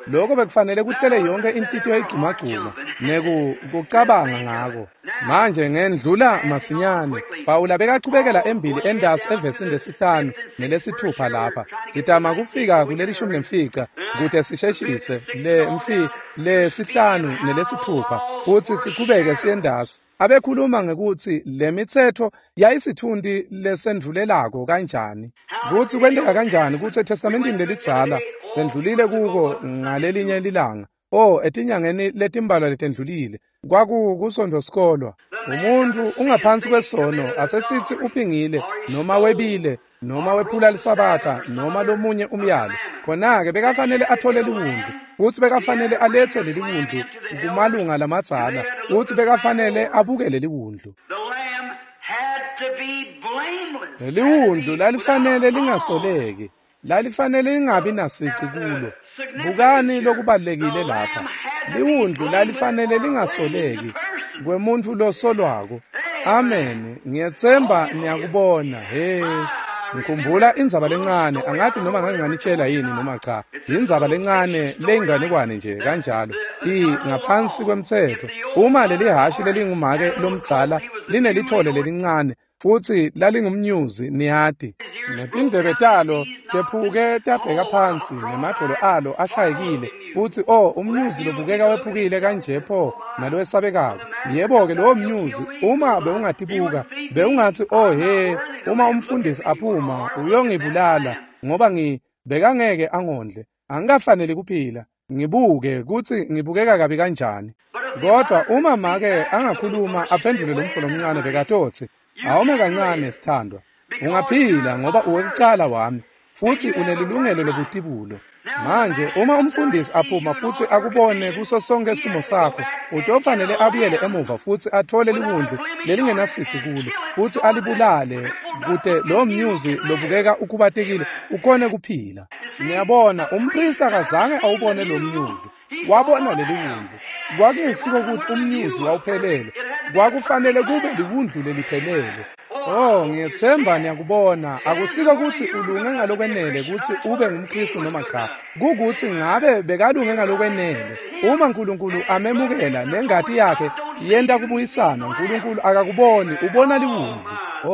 Lokho bekufanele kuhlele yonke inhlitiyo igcumagcuma nekucabanga ngako. Manje ngendlula masinyane. Pawula bekachubekela embili endasi evesini lesihlanu nelesithupha lapha. Sitama kufika kuleli 15 kute sisheshise le 5 nelesithupha futsi sichubeke siyendasi. Abekhuluma ngekutsi le mitsetfo yayisitfunti lesendvulelako kanjani, kutsi kwenteka kanjani kutsi eTestamentini lelidzala sendlulile kuko ngalelinye lilanga. Etinyangeni letimbalwa letendlulile kwakukusonto sikolwa. Umuntu ungaphansi kwesono, asesitsi uphingile noma webile noma wephula lisabatha noma lomunye umyalo. Khona-ke bekafanele athole liwundlu, futsi bekafanele alethe leliwundlu kumalunga lamadzala, futsi bekafanele abuke leliwundlu. Leliwundlu lalifanele lingasoleki, lalifanele lingabi nasici kulo. Bukani lokubalulekile lapha. Liwundlu lalifanele lingasoleki kwemuntfu losolwako. Amen. Ngiyetsemba niyakubona. He. Ngikhumbula indzaba lencane, angathi noma ngake nganitshela yini noma cha. Indzaba lencane leyinganekwane nje kanjalo. Ngaphansi kwemtsetfo, uma leli hashi lelingumake lomdzala linelithole lelincane futsi lalingumnyuzi, niyati. Netindlebe talo tephuke tabheka phansi, nemadvolo alo ashayekile, futsi umnyuzi lobukeka wephukile kanje pho nalowesabekako. Yebo-ke, lowo mnyuzi, uma bewungatibuka, bewungatsi he, uma umfundisi aphuma uyongibulala ngoba bekangeke angondle, angikafaneli kuphila. Ngibuke kutsi ngibukeka kabi kanjani. Kodwa uma make angakhuluma aphendvule lomfo lomncane, bekatotsi, awume kancane sithandwa, ungaphila ngoba uwekucala wami futsi unelilungelo lobutibulo. Manje uma umfundisi aphuma futsi akubone kuso sonke simo sakho, utofanele abuyele emuva futsi athole liwundlu lelingenasici kulo futsi alibulale kute lowo mnyuzi lobukeka ukhubatekile ukhone kuphila. Niyabona, umpristi akazange awubone lo mnyuzi, wabona leliwundlu. Kwakungesiko kutsi umnyuzi wawuphelele, kwakufanele kube liwundlu leliphelele. Ngiyetsemba niyakubona. Akusiko kutsi ulunge ngalokwenele kutsi ube ngumKristu noma cha. Kukutsi ngabe bekalunge ngalokwenele. Uma Nkulunkulu amemukela nengati yakhe yenta kubuyisana, Nkulunkulu akakuboni, ubona liwundlu.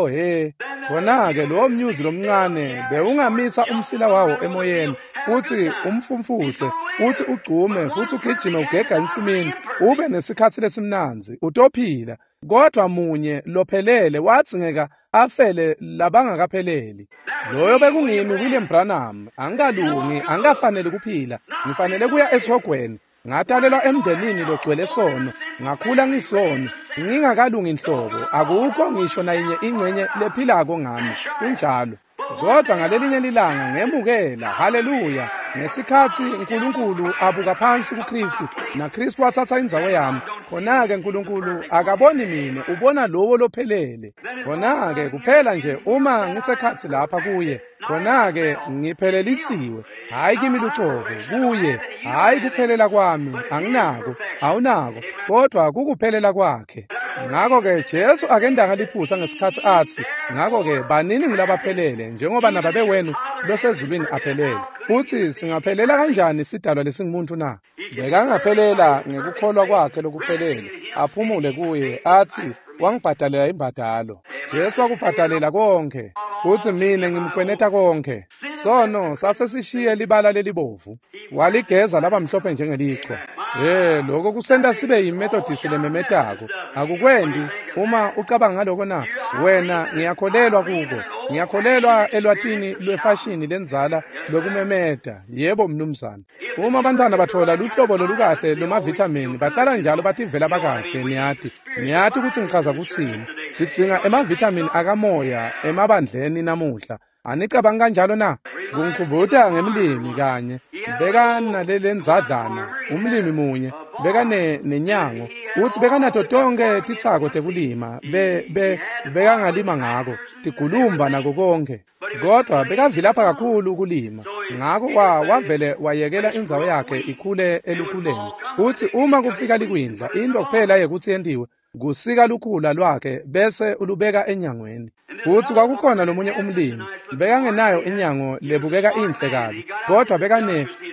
He. Khona-ke lowo mnyuzi lomncane bewungamisa umsila wawo emoyeni futsi umfumfutse futsi ugcume futsi ugijime ugega ensimini ube nesikhatsi lesimnandzi, utophila. Kodwa munye lophelele wadzingeka afele labangakapheleli. Loyo bekungimi William Branham. Angikalungi, angikafaneli kuphila, ngifanele kuya esihogweni. Ngatalelwa emndenini logcwele sono, ngakhula ngisoni, ngingakalungi nhlobo, akukho ngisho nayinye ingcenye lephilako ngami. Kunjalo. Kodwa ngalelinye lilanga ngemukela, haleluya, ngesikhatsi Nkulunkulu abuka phansi kuKristu, naKristu wathatha indzawo yami. Khona-ke Nkulunkulu akaboni mine, ubona lowo lophelele. Khona-ke kuphela nje uma ngisekhatsi lapha kuye, khona-ke ngiphelelisiwe. Hhayi kimi lucobo, kuye, hhayi kuphelela kwami, anginako, awunako, kodwa kukuphelela kwakhe. Ngakho-ke Jesu akendanga liphutha ngesikhatsi atsi, ngakho-ke banini ngulabaphelele njengoba nababe wenu losezulwini aphelele. Futsi singaphelela kanjani sidalwa lesingumuntu na? Bekangaphelela ngekukholwa kwakhe lokuphelele, aphumule kuye, atsi wangibhadalela imbadalo. Jesu wakubhadalela konke, futsi mine ngimkweneta konke. Sono sasesishiye libala lelibovu, waligeza laba mhlophe njengelichwa. Lokho kusenta sibe yiMethodist lememetako. Akukwendi uma ucabanga ngaloko na? Wena, ngiyakholelwa kuko. Ngiyakholelwa elwatini lwefashini lendzala lokumemeta. Yebo mnumzane. Uma abantwana bathola luhlobo lolukahle lwemavithamini, bahlala njalo bativela bakahle, niyati. Niyati kutsi ngichaza kutsini. Sidzinga emavithamini akamoya emabandleni namuhla. Anicabangi kanjalo na? Kungikhumbuta ngemlimi kanye. Bekanalelenzadlana, umlimi munye, bekanenyango. Utsi bekanato tonke titsako tekulima, bekangalima ngako, tigulumba nako konke. Kodwa bekavilapha kakhulu ukulima. Ngako wavele wayekela indzawo yakhe ikhule elukhuleni. Utsi uma kufika likwindla, into kuphela yekutsi yentiwe kusika lukhula lwakhe bese ulubeka enyangweni. Futsi kwakukhona lomunye umlimi, bekangenayo inyango lebukeka inhle kabi, kodwa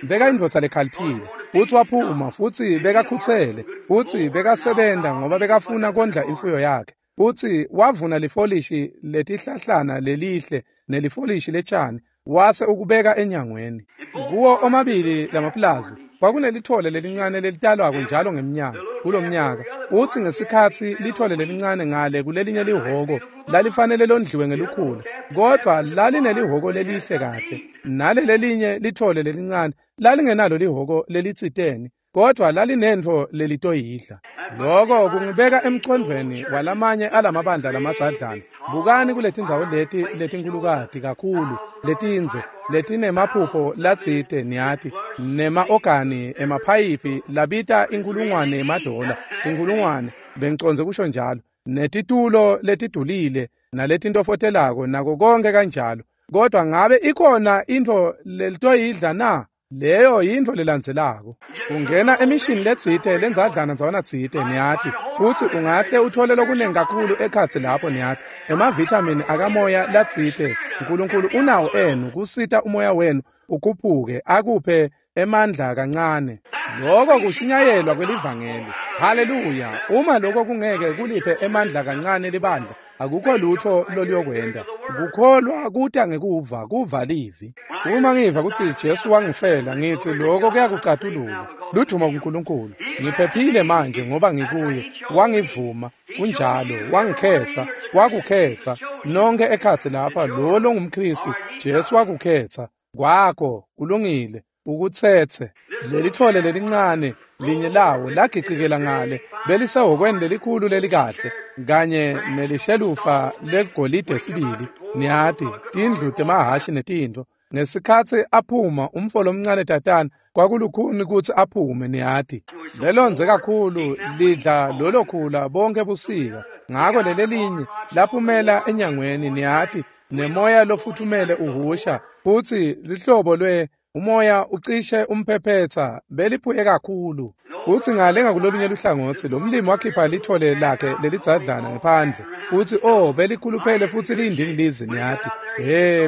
bekayindvodza lekhaliphile. Futsi waphuma, futsi bekakhutsele, futsi bekasebenta ngoba bekafuna kondla imfuyo yakhe. Futsi wavuna lifolishi letihlahlana lelihle nelifolishi letshani, wase ukubeka enyangweni. Kuwo omabili lamapulazi kwakunelithole lelincane lelitalwako njalo ngemnyaka kulomnyaka. Utsi ngesikhatsi lithole lelincane ngale kulelinye lihhoko lalifanele londliwe ngelukhula, kodvwa lalinelihhoko lelihle kahle. Nalelelinye lithole lelincane lalingenalo lihhoko lelitsiteni, kodvwa lalinentfo lelitoyidla. Loko kungibeka emcondvweni walamanye alamabandla lamadzadlana. Bukani kuletindzawo leti letinkhulukati kakhulu, letindze, letinemaphupho latsite, niyati, nema-ogani emaphayiphi labita inkulungwane yemadola, tinkulungwane, bengicondze kusho njalo, netitulo letidulile naletintofotelako nako konke kanjalo. Kodwa ngabe ikhona intfo lelitoyidla na? Leyo yintfo lelandzelako. Ungena emishini letsite lendzadlana ndzawana tsite, niyati, futsi ungahle uthole lokunengi kakhulu ekhatsi lapho, niyati. Emavithamini akamoya latsite Nkulunkulu unawo enu kusita umoya wenu ukhuphuke akuphe emandla kancane. Lokho kushunyayelwa kwelivangeli. Haleluya! Uma lokho kungeke kuliphe emandla kancane libandla, akukho lutho loluyokwenta. Kukholwa kuta ngekuva, kuva livi. Uma ngiva kutsi Jesu wangifela, ngitsi lokho kuyakucatulula. Ludumo kuNkulunkulu. Ngiphephile manje ngoba ngikuye. Wangivuma, kunjalo, wangikhetsa, wakukhetsa. Nonke ekhatsi lapha, lo longumKhristu, Jesu wakukhetsa. Kwakho, kulungile, ukutsetse. Lelithole lelincane linye lawo lagicikela ngale, belisehhokweni lelikhulu lelikahle, kanye nelishelufa legolide sibili, niyati, tindlu temahhashi netintfo. Ngesikhatsi aphuma umfo lomncane tatana, kwakulukhuni kutsi aphume, niyati. Lelondze kakhulu lidla lolo khula bonke busika. Ngako lelelinye laphumela enyangweni, niyati, nemoya lofuthumele uhusha, futsi lihlobo lwe umoya ucishe umphephetsa, beliphuye kakhulu. Futsi ngale ngakulolunye luhlangotsi lo mlimi wakhipha lithole lakhe lelidzadlana ngephandle. Futsi belikhuluphele futsi liyindingilizi, niyati.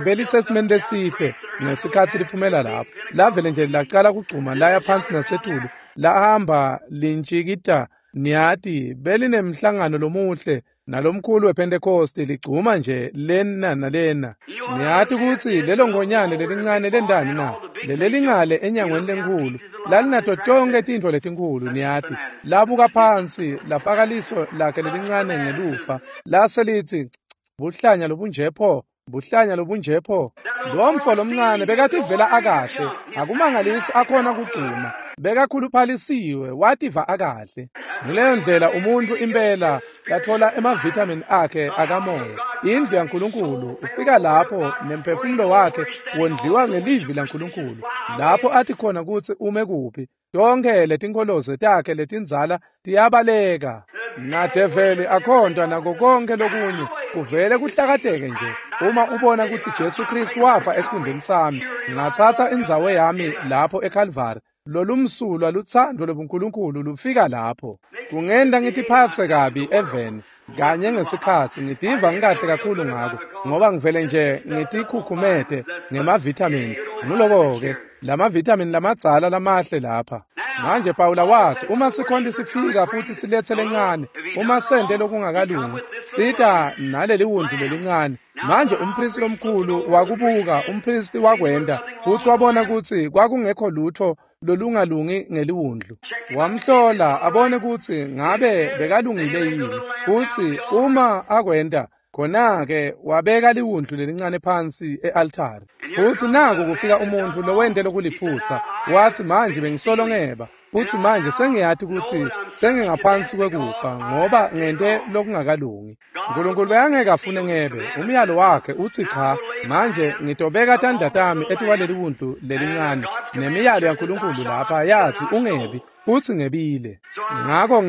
Belisesimeni lesihle ngesikhatsi liphumela lapho. Lavele nje lacala kugcuma laya phansi nasetulu, lahamba lintshikita, niyati, belinemhlangano lomuhle nalomkhulu wePentecost ligcuma nje lena nalena. Niyati kutsi lelo ngonyane lelincane lendani na? Lelelingale enyangweni lenkhulu lalinato tonke tintfo letinkhulu, niyati. Labuka phansi, lafaka liso lakhe lelincane ngelufa, lase litsi, buhlanya lobunje pho, buhlanya lobunje pho. Lo mfo lomncane bekativela akahle, akumangalisi akhona kugcuma. Bekakhuluphalisiwe, wativa akahle. Nguleyo ndlela umuntu impela lathola emavithamini akhe akamoya. Indlu yaNkulunkulu ufika lapho nemphefumulo wakhe wondliwa ngelivi laNkulunkulu, lapho athi khona kutsi ume kuphi. Tonke letinkholoze takhe letindzala tiyabaleka. Nadeveli akhontwa nako konke lokunye, kuvele kuhlakateke nje. Uma ubona kutsi Jesu Kristu wafa esikhundleni sami, ngatsatsa indzawo yami lapho eKalvari, lolumsulwa lutsandvo lobuNkulunkulu lufika lapho. Kungenta ngitiphatse kabi eveni kanye ngesikhatsi ngitiva ngikahle kakhulu ngako, ngoba ngivele nje ngitikhukhumete ngemavithamini. Nguloko-ke lamavithamini lamadzala lamahle lapha. Manje Pawula wathi uma sikhonti sifika futhi silethe lencane, uma sente lokungakalungi, sita naleli wundlu lelincane. Manje umpristi lomkhulu wakubuka, umpristi wakwenda, futhi wabona ukuthi kwakungekho lutho lolungalungi ngeliwundlu. Wamhlola abone ukuthi ngabe bekalungile yini, futhi uma akwenda khona-ke wabeka liwundlu lelincane phansi e-altare. Futhi naku kufika umuntu lowente lokuliphutha, wathi manje bengisolo ngeba, futhi manje sengiyati ukuthi sengingaphansi kwekufa ngoba ngente lokungakalungi. uNkulunkulu bekangeke afune ngebe, umyalo wakhe uthi cha, manje ngitobeka tandla tami etikwaleli wundlu lelincane, nemiyalo yaNkulunkulu lapha yathi ungebi, futhi ngebile. Ngakho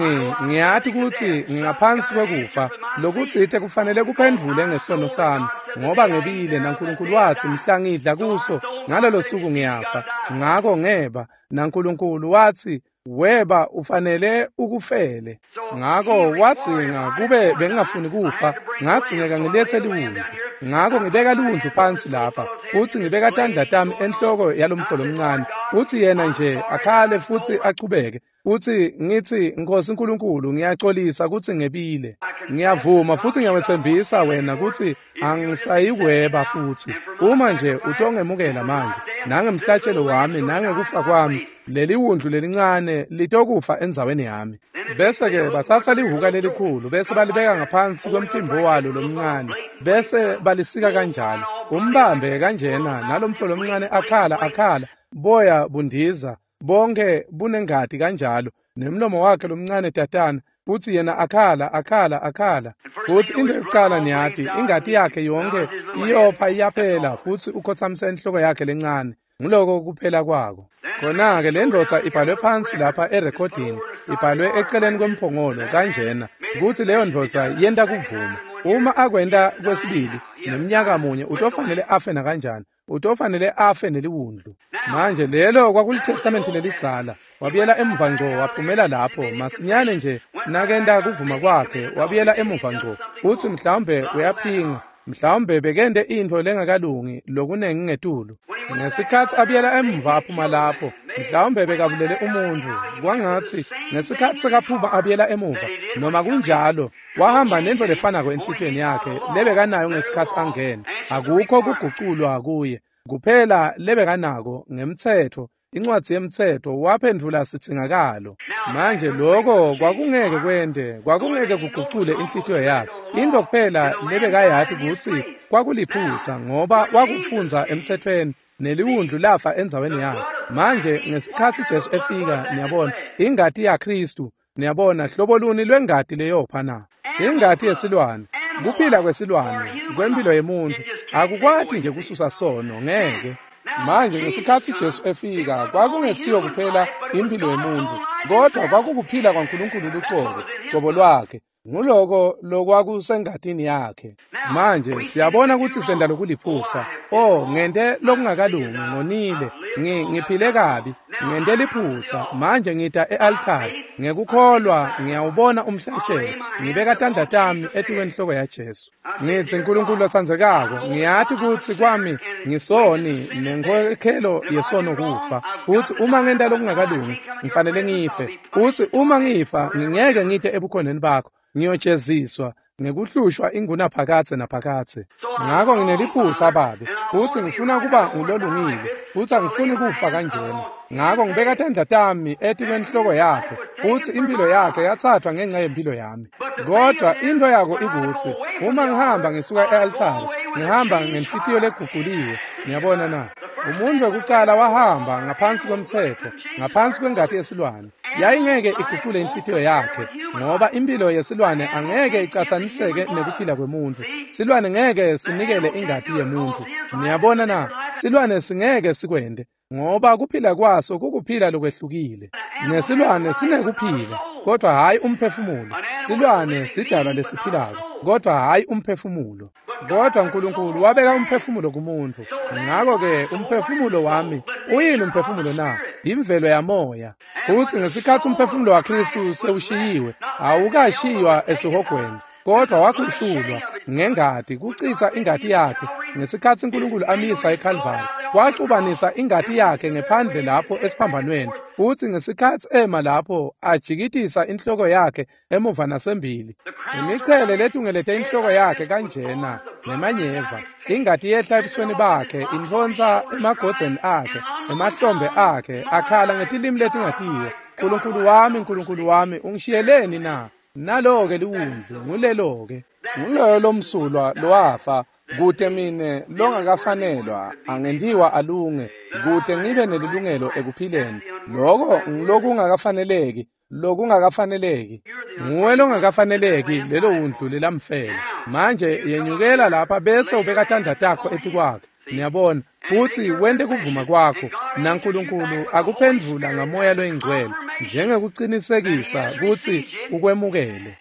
ngiyati ukuthi ngingaphansi kwekufa, lokutsite kufanele kuphendvule ngesono sami, ngoba ngebile naNkulunkulu wathi mhla ngidla kuso ngalolo suku ngiyafa. Ngakho ngeba, naNkulunkulu wathi weba ufanele ukufele. Ngakho wadzinga kube bengingafuni kufa, ngadzingeka ngilethe liwundlu. Ngakho ngibeka liwundlu phansi lapha, futhi ngibeka tandla tami enhloko yalomfo lomncane, futhi yena nje akhale futhi achubeke. Futhi ngithi Nkosi uNkulunkulu, ngiyaxolisa ukuthi ngebile. Ngiyavuma futhi ngiyawethembisa wena ukuthi angisayikweba futhi. Uma nje utongemukela manje, nangemhlatshelo wami nangekufa kwami, leli wundlu lelincane litokufa endzaweni yami. Bese-ke bathatha lihuka lelikhulu bese balibeka ngaphansi kwemphimbo walo lomncane, bese balisika kanjalo. Umbambe kanjena nalomfo lomncane akhala akhala, boya bundiza, bonke bunengati kanjalo, nemlomo wakhe lomncane tatana, futhi yena akhala akhala akhala. Futhi into yokucala niyati, ingati yakhe yonke iyopha iyaphela, futhi ukhothamisa inhloko yakhe lencane. Nguloko kuphela kwako. Khona-ke le ndoda ibhalwe phansi lapha erekhodini, ibhalwe eceleni kwemphongolo kanjena, ukuthi leyo ndoda yenta kuvuma. Uma akwenta kwesibili neminyaka munye, utofanele afe nakanjani, utofanele afe neliwundlu. Manje lelo kwakulitestamenti lelidzala. Wabuyela emuva ngco, waphumela lapho masinyane nje nakenta kuvuma kwakhe, wabuyela emuva ngco. Uthi mhlawumbe uyaphinga, mhlawumbe bekente intfo lengakalungi lokunengi ngetulu. Ngesikhathi abuyela emuva aphuma lapho, mhlawumbe bekabulele umuntu, kwangathi ngesikhathi sekaphuma abuyela emuva, noma kunjalo wahamba nento lefanako enhlitiyweni yakhe lebekanayo ngesikhathi angena. Akukho kuguculwa kuye, kuphela lebekanako ngemtsetfo, incwadi yemtsetfo waphendvula sitsingakalo. Manje lokho kwakungeke kwente, kwakungeke kugucule inhlitiyo yakhe. Into kuphela lebekayati kutsi kwakuliphutha, ngoba wakufundza emtsetfweni, neliwundlu lafa endzaweni yakhe. Manje ngesikhathi Jesu efika, niyabona, ingati yaKristu, niyabona, hlobo luni lwengati leyopha na? Ingati yesilwane, kuphila kwesilwane, kwempilo yemuntu, akukwati nje kususa sono, ngeke. Manje ngesikhathi Jesu efika, kwakungesiyo kuphela impilo yemuntu, kodwa kwakukuphila kwaNkulunkulu luqobo, qobo lwakhe. Nguloko lokwakusengatini yakhe. Manje siyabona ukuthi senta lokuliphutha. Oh, ngente lokungakalungi, ngonile, ngiphile kabi, ngente liphutha. Manje ngita e-altare, ngekukholwa ngiyawubona umhlatshelo, ngibeka tandla tami etikwenhloko yaJesu. Ngithi uNkulunkulu lotsandzekako, ngiyati kutsi kwami ngisoni nenkhokhelo yesono kufa. Futhi uma ngenta lokungakalungi, ngifanele ngife. Futhi uma ngifa, ngingeke ngite ebukhoneni bakho, ngiyojeziswa ngekuhlushwa ingunaphakadze naphakadze. Ngakho ngineliphutha babe, futhi ngifuna kuba ngulolungile, futhi angifuni kufa kanjena. Ngakho ngibeka tandla tami etikwenhloko yakhe, futhi impilo yakhe yathathwa ngenxa yempilo yami. Kodwa into yako ikuthi uma ngihamba ngisuka e-altare, ngihamba ngenhlitiyo leguculiwe. Niyabona na? Umuntu wekucala wahamba ngaphansi kwemtsetfo, ngaphansi kwengati yesilwane. Yayingeke igucule inhlitiyo yakhe, ngoba impilo yesilwane angeke icatsaniseke nekuphila kwemuntu. Silwane ngeke sinikele ingati yemuntu. Niyabona na? Silwane singeke sikwente, ngoba kuphila kwaso kukuphila lokwehlukile. Nesilwane sinekuphila, kodwa hhayi umphefumulo. Silwane sidalwa lesiphilako, kodwa hhayi umphefumulo. Kodwa uNkulunkulu wabeka umphefumulo kumuntu. Ngakho-ke umphefumulo wami uyini umphefumulo na? Imvelo yamoya. Futhi ngesikhathi umphefumulo waKristu sewushiyiwe, awukashiywa esihogweni, kodwa wakhushulwa ngengati, kuchitha ingati yakhe. Ngesikhatsi Nkulunkulu amisa eKhalvari, waxubanisa ingati yakhe ngephandle lapho esiphambanweni, futsi ngesikhatsi ema lapho ajikitisa inhloko yakhe emuva nasembili, imichele letungelete inhloko yakhe kanjena nemanyeva, ingati yehla ebusweni bakhe, intfonsa emagodzeni akhe, emahlombe akhe, akhala ngetilimi letingatiwa, Nkulunkulu wami, Nkulunkulu wami, ungishiyeleni na? Nalo-ke liwundlu, ngulelo-ke. Nguloyo lomsulwa lowafa, kute mine longakafanelwa angentiwa alunge, kute ngibe nelilungelo ekuphileni. Loko ngilokungakafaneleki, lokungakafaneleki. Nguwe longakafaneleki lelo wundlu lelamfela. Manje yenyukela lapha bese ubeka tandla takho etikwakhe. Niyabona, futsi wente kuvuma kwakho, naNkulunkulu akuphendvula ngaMoya loyiNgcwele njengekucinisekisa kutsi ukwemukele.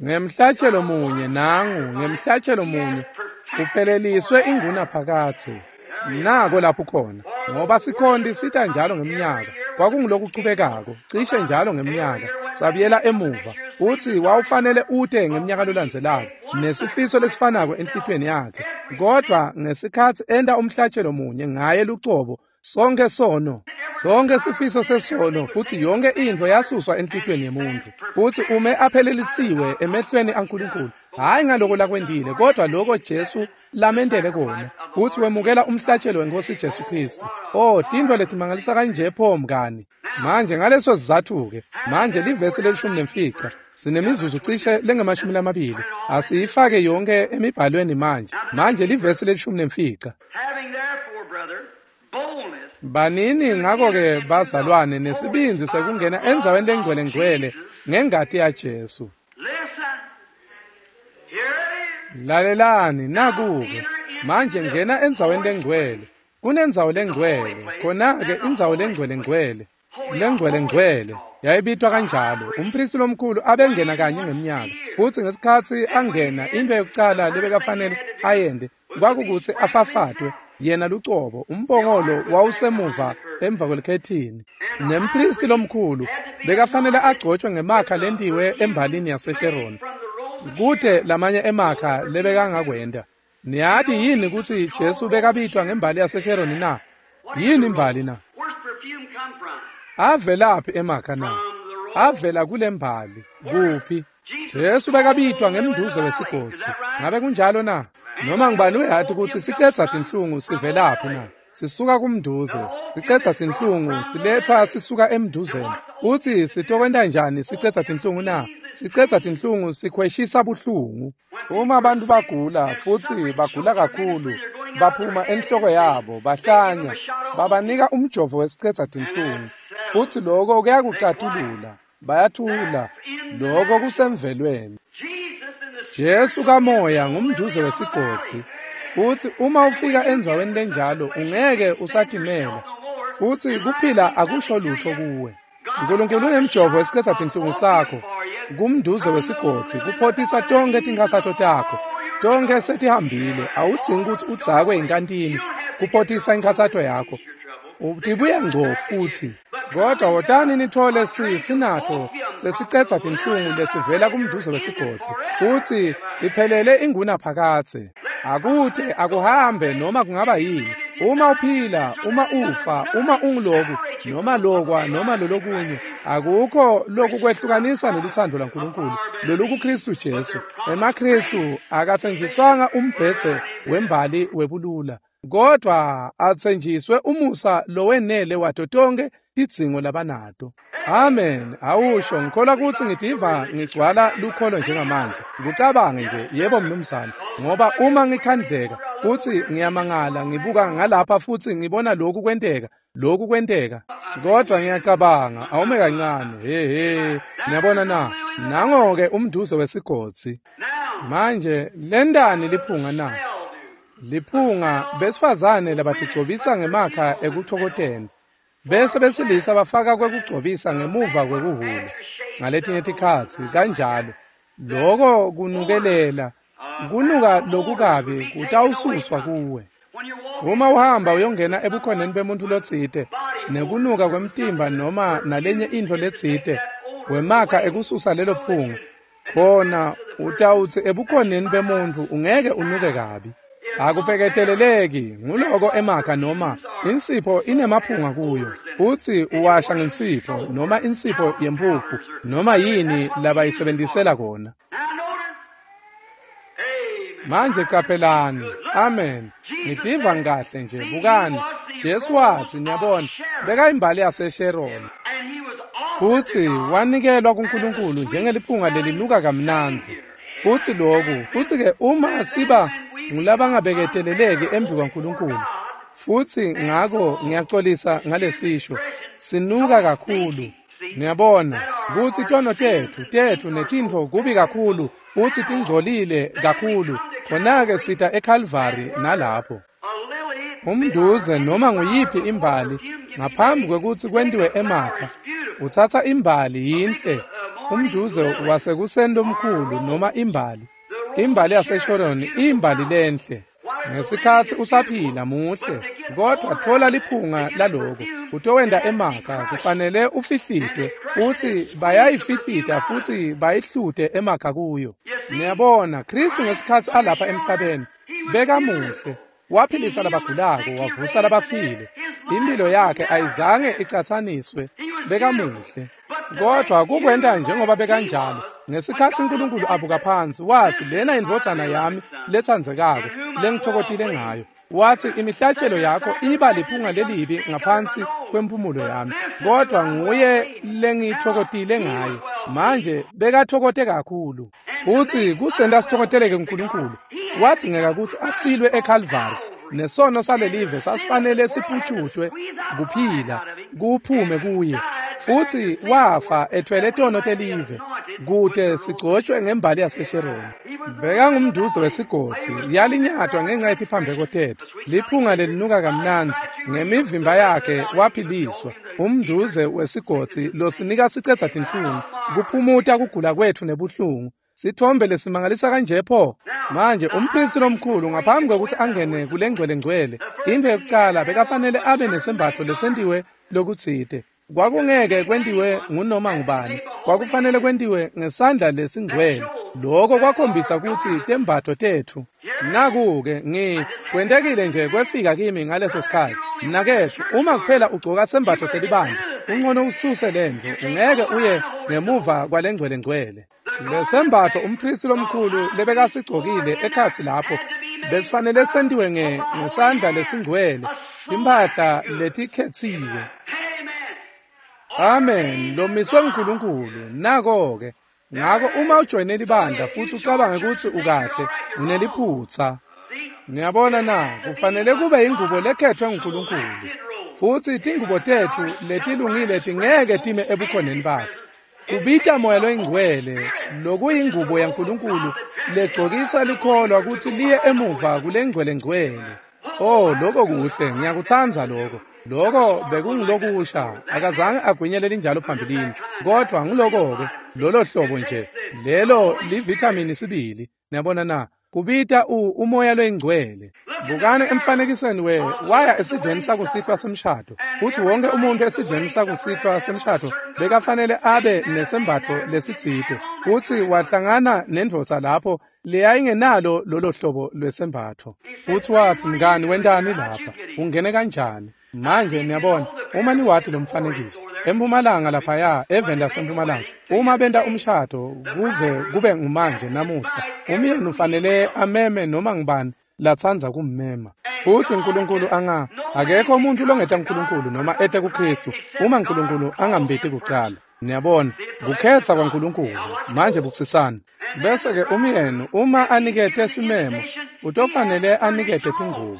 Ngemhlatshelo munye nangu, ngemhlatshelo munye kupheleliswe ingunaphakadze. Nako lapho khona, ngoba sikhonti sita njalo ngemnyaka, kwakungulokuchubekako, cishe njalo ngemnyaka, sabuyela emuva, futsi wawufanele ute ngemnyaka lolandzelako, nesifiso lesifanako enhlitiyweni yakhe. Kodvwa ngesikhatsi enta umhlatshelo munye ngaye lucobo, sonke sono, sonke sifiso sesono, futsi yonke intfo yasuswa enhlitiyweni yemuntfu, futsi ume aphelelisiwe emehlweni aNkulunkulu, hhayi ngaloko lakwentile, kodwa loko Jesu lamentele kona, futsi wemukela umhlatshelo weNkhosi Jesu Khristu. Oh, tintfo letimangalisa kanje pho mngani. Manje ngaleso sizatfu-ke, manje livesi leli-15, sinemizuzu cishe lengama-20, asiyifake yonke emibhalweni manje. Manje livesi leli-15. Banini ngako-ke bazalwane nesibindzi sekungena endzaweni lengcwele-ngcwele ngengati yaJesu. Lalelani naku-ke. Manje ngena endzaweni lengcwele. Kunendzawo lengcwele, khona-ke indzawo lengcwele-ngcwele. Lengcwele-ngcwele yayibitwa kanjalo. Umphristi lomkhulu abengena kanye ngemnyaka, futsi ngesikhatsi angena into yokucala lebekafanele ayente kwakukutsi afafatwe yena lucobo. Umbongolo wawusemuva emva kwelikhethini, nemphristi lomkhulu bekafanele agcotshwe ngemakha lentiwe embalini yaseSheroni, kute lamanye emakha lebekangakwenta. Niyati yini kutsi Jesu bekabitwa ngembali yaseSheroni na? Yini imbali na? Avelaphi emakha na? Avela kulembali. Kuphi? Jesu bekabitwa ngemnduze wesigodzi. Ngabe kunjalo na? Noma ngibani uyati kutsi sicedza tinhlungu sivelaphi na? Sisuka kumnduze. Sicedza tinhlungu siletfwa sisuka emnduzeni. Utsi sitokwenta njani sicedza tinhlungu na? Sicedza tinhlungu sikhweshisa buhlungu. Uma abantu bagula futsi bagula kakhulu, baphuma enhloko yabo, bahlanya, babanika umjovo wesicedza tinhlungu, futsi loko kuyakucatulula, bayathula, loko kusemvelweni. Jesu kamoya ngumnduze wesigodzi, futsi uma ufika endzaweni lenjalo ungeke usatimela, futsi kuphila akusho lutfo kuwe. Nkulunkulu unemjovo wesicedza tinhlungu sakho, kumnduze wesigodzi, kuphotisa tonkhe tinkhatsato takho. Tonkhe setihambile, awudzingi kutsi udzakwe inkantini kuphotisa inkhatsato yakho. Utibuya ngco futsi. Kodwa wotani nitfole sinatfo sesicedza tinhlungu lesivela kumnduze wesigodzi, futsi iphelele ingunaphakadze. Akute akuhambe noma kungaba yini. Uma uphila, uma ufa, uma unguloku, noma lokwa, noma lolokunye, akukho lokukwehlukanisa neluthando lwaNkulunkulu lolukuKristu Jesu. EmaKristu akatsenjiswanga umbhedze wembali webulula, kodwa atsenjiswe umusa lowenele wato tonkhe tidzingo labanato. Amen. Awusho, ngikholwa kutsi ngitiva ngigcwala lukholo njengamanje. Kucabange nje, yebo mnumzane, ngoba uma ngikhandleka futsi ngiyamangala ngibuka ngalapha futsi ngibona lokhu kwenteka, lokhu kwenteka. Kodwa ngiyacabanga, awume kancane. He he, niyabona na? Nango-ke umnduze wesigodzi. Manje lentani liphunga na? Liphunga besifazane labatigcobisa ngemakha ekuchokoteni, bese besilisa bafaka kwekugcobisa ngemuva kwekuhhula. Ngaletinye tikhatsi kanjalo, loko kunukelela, kunuka lokukabi kutawususwa kuwe. Uma uhamba uyongena ebukhoneni bemuntfu lotsite, nekunuka kwemtimba noma nalenye intfo letsite, wemakha ekususa lelo phunga. Khona utawutsi ebukhoneni bemuntu ungeke unuke kabi. Akubeketeleleki nguloko emakha noma insipho inemaphunga kuyo. Utsi uwasha ngensipho noma insipho yempuphu noma yini labayisebenzisela kona. Manje caphelani. Amen. Ngitiva ngikahle nje. Bukani. Jesu watsi, niyabona, bekayimbali yaseSharon. Futsi wanikelwa kuNkulunkulu njengeliphunga lelinuka kamnandzi. Futsi loku, futsi-ke uma siba ngulabangabeketeleleki embi kwaNkulunkulu, futsi ngako ngiyaxolisa ngalesisho, sinuka kakhulu. Niyabona kutsi tono tetfu netintfo kubi kakhulu, futsi tingcolile kakhulu. Khona-ke sita eKalvari nalapho. Umnduze noma nguyiphi imbali ngaphambi kwekutsi kwentiwe emakha, utsatsa imbali yinhle, umnduze wasekuseni lomkhulu noma imbali. Imbali yaseSharon imbali lenhle. Ngesikhatsi usaphila muhle, kodwa thola liphunga laloko. Utowenta emakha, kufanele ufihlitwe, futsi bayayifihlita futsi bayihlute emakha kuyo. Niyabona, Kristu ngesikhatsi alapha emhlabeni bekamuhle. Waphilisa labagulako, wavusa labafile. Impilo yakhe ayizange icatsaniswe, bekamuhle. Kodwa kukwenta njengoba bekanjalo. Ngesikhatsi uNkulunkulu abuka phansi, watsi lena indvodzana yami letsandzekako lengitfokotile ngayo. Watsi imihlatshelo yakho iba liphunga lelibi ngaphansi kwemphumulo yami, kodwa nguye lengitfokotile ngaye. Manje bekatfokote kakhulu. Utsi kusenta sitfokoteleke kuNkulunkulu. Watsi ngeka kutsi asilwe eKalvari. Nesono salelive sasifanele siphutshutwe kuphila kuphume kuye. Futsi wafa ethwele tono telive kute sigcotshwe ngembali yaseSharon. Bekangumnduze wesigodzi, yalinyatwa ngenxa yetiphambeko tetfu. Liphunga lelinuka kamnandzi, ngemivimba yakhe waphiliswa. Umnduze wesigodzi losinika sicedza tinhlungu, kuphumuta kugula kwetfu nebuhlungu. Sithombe lesimangalisa kanje pho. Manje umpristi lomkhulu ngaphambi kwekutsi angene kulengcwele ngcwele, into yokucala bekafanele abe nesembatfo lesentiwe lokutsite. Kwakungeke kwentiwe ngunoma ngubani, kwakufanele kwentiwe ngesandla lesingcwele. Lokho kwakhombisa kutsi tembatfo tetfu. Naku-ke kwentekile nje kwefika kimi ngaleso sikhatsi. Mnaketfu, uma kuphela ugcoka sembatfo selibandla, uncono ususe lentfo, ungeke uye ngemuva kwalengcwele ngcwele. Lesembatfo umpristi lomkhulu lebekasigcokile ekhatsi lapho besifanele sentiwe ngesandla lesingcwele, timphahla letikhetsiwe. Amen. Lomiswe nguNkulunkulu. Nako-ke. Ngako uma ujoyine libandla futsi ucabange kutsi ukahle, uneliphutsa. Niyabona na, kufanele kube ingubo lekhethwe nguNkulunkulu. Futsi tingubo tetfu letilungile tingeke time ebukhoneni bakhe. Kubita moya loyingcwele, lokuyingubo yaNkulunkulu legcokisa likholwa kutsi liye emuva kulengcwele ngcwele. Oh, lokho kuhle, ngiyakutsandza lokho. Lokho bekungulokusha, akazange agwinyele linjalo phambilini. Kodwa nguloko-ke, lolo hlobo nje, lelo livithamini sibili. Niyabona na, kubita umoya loyingcwele. Bukani emfanekisweni waya esidlweni sakusihlwa semshado. Futsi wonke umuntu esidlweni sakusihlwa semshado bekafanele abe nesembatfo lesitsite. Futsi wahlangana nendvodza lapho leyayingenalo lolo hlobo lwesembatfo. Futsi watsi, mngani, wentani lapha? Ungene kanjani? Manje niyabona, uma niwati lo mfanekiso, eMpumalanga laphaya, eveni laseMpumalanga, uma benta umshado kuze kube ngumanje namuhla, umyeni ufanele ameme noma ngubani latsandza kummema. Futsi uNkulunkulu akekho umuntu longeta uNkulunkulu noma ete kuKristu uma uNkulunkulu angambiti kucala. Niyabona, kukhetsa kwaNkulunkulu. Manje bukusisani. Bese-ke umyeni uma anikete simemo, utofanele anikete tingubo.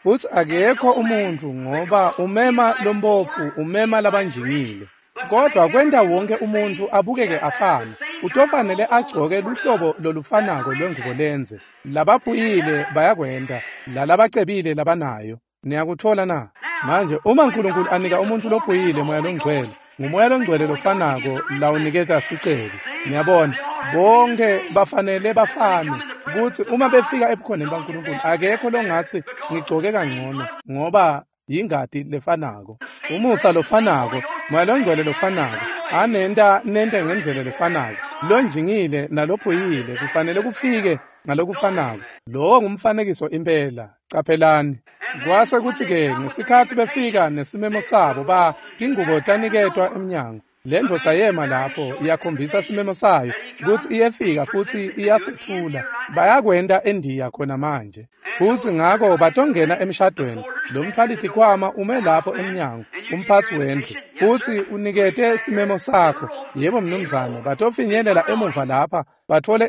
Futsi akekho umuntu ngoba umema lombofu, umema labanjingile. Kodwa kwenta wonke umuntu abukeke afane, utofanele agcoke luhlobo lolufanako lwengubo lenze. Labaphuyile bayakwenta, lalabacebile labanayo. Niyakutfola na? Manje uma uNkulunkulu anika umuntu lophuyile moya longcwele, ngumoya longcwele lofanako lawuniketa sicebi. Niyabona, bonke bafanele bafane. Kutsi uma befika ebukhoneni baNkulunkulu akekho longatsi ngigcoke kangcono ngoba yingati lefanako, umusa lofanako, moya longcwele lofanako, anenta nente ngendlela lefanako. Lonjingile nalophuyile kufanele kufike ngalokufanako. Lowo ngumfanekiso impela. Caphelani. Kwase kutsi-ke ngesikhatsi befika nesimemo sabo tingubo taniketwa emnyango. Le ndvodza yema lapho iyakhombisa simemo sayo kutsi iyefika futsi iyasethula. Bayakwenta eNdiya khona manje. Futsi ngako batongena emshadweni. Lo mtfwalitikhwama ume lapho emnyango, umphatsi wendlu, futsi unikete simemo sakho. Yebo mnumzane, batofinyelela emuva lapha batfole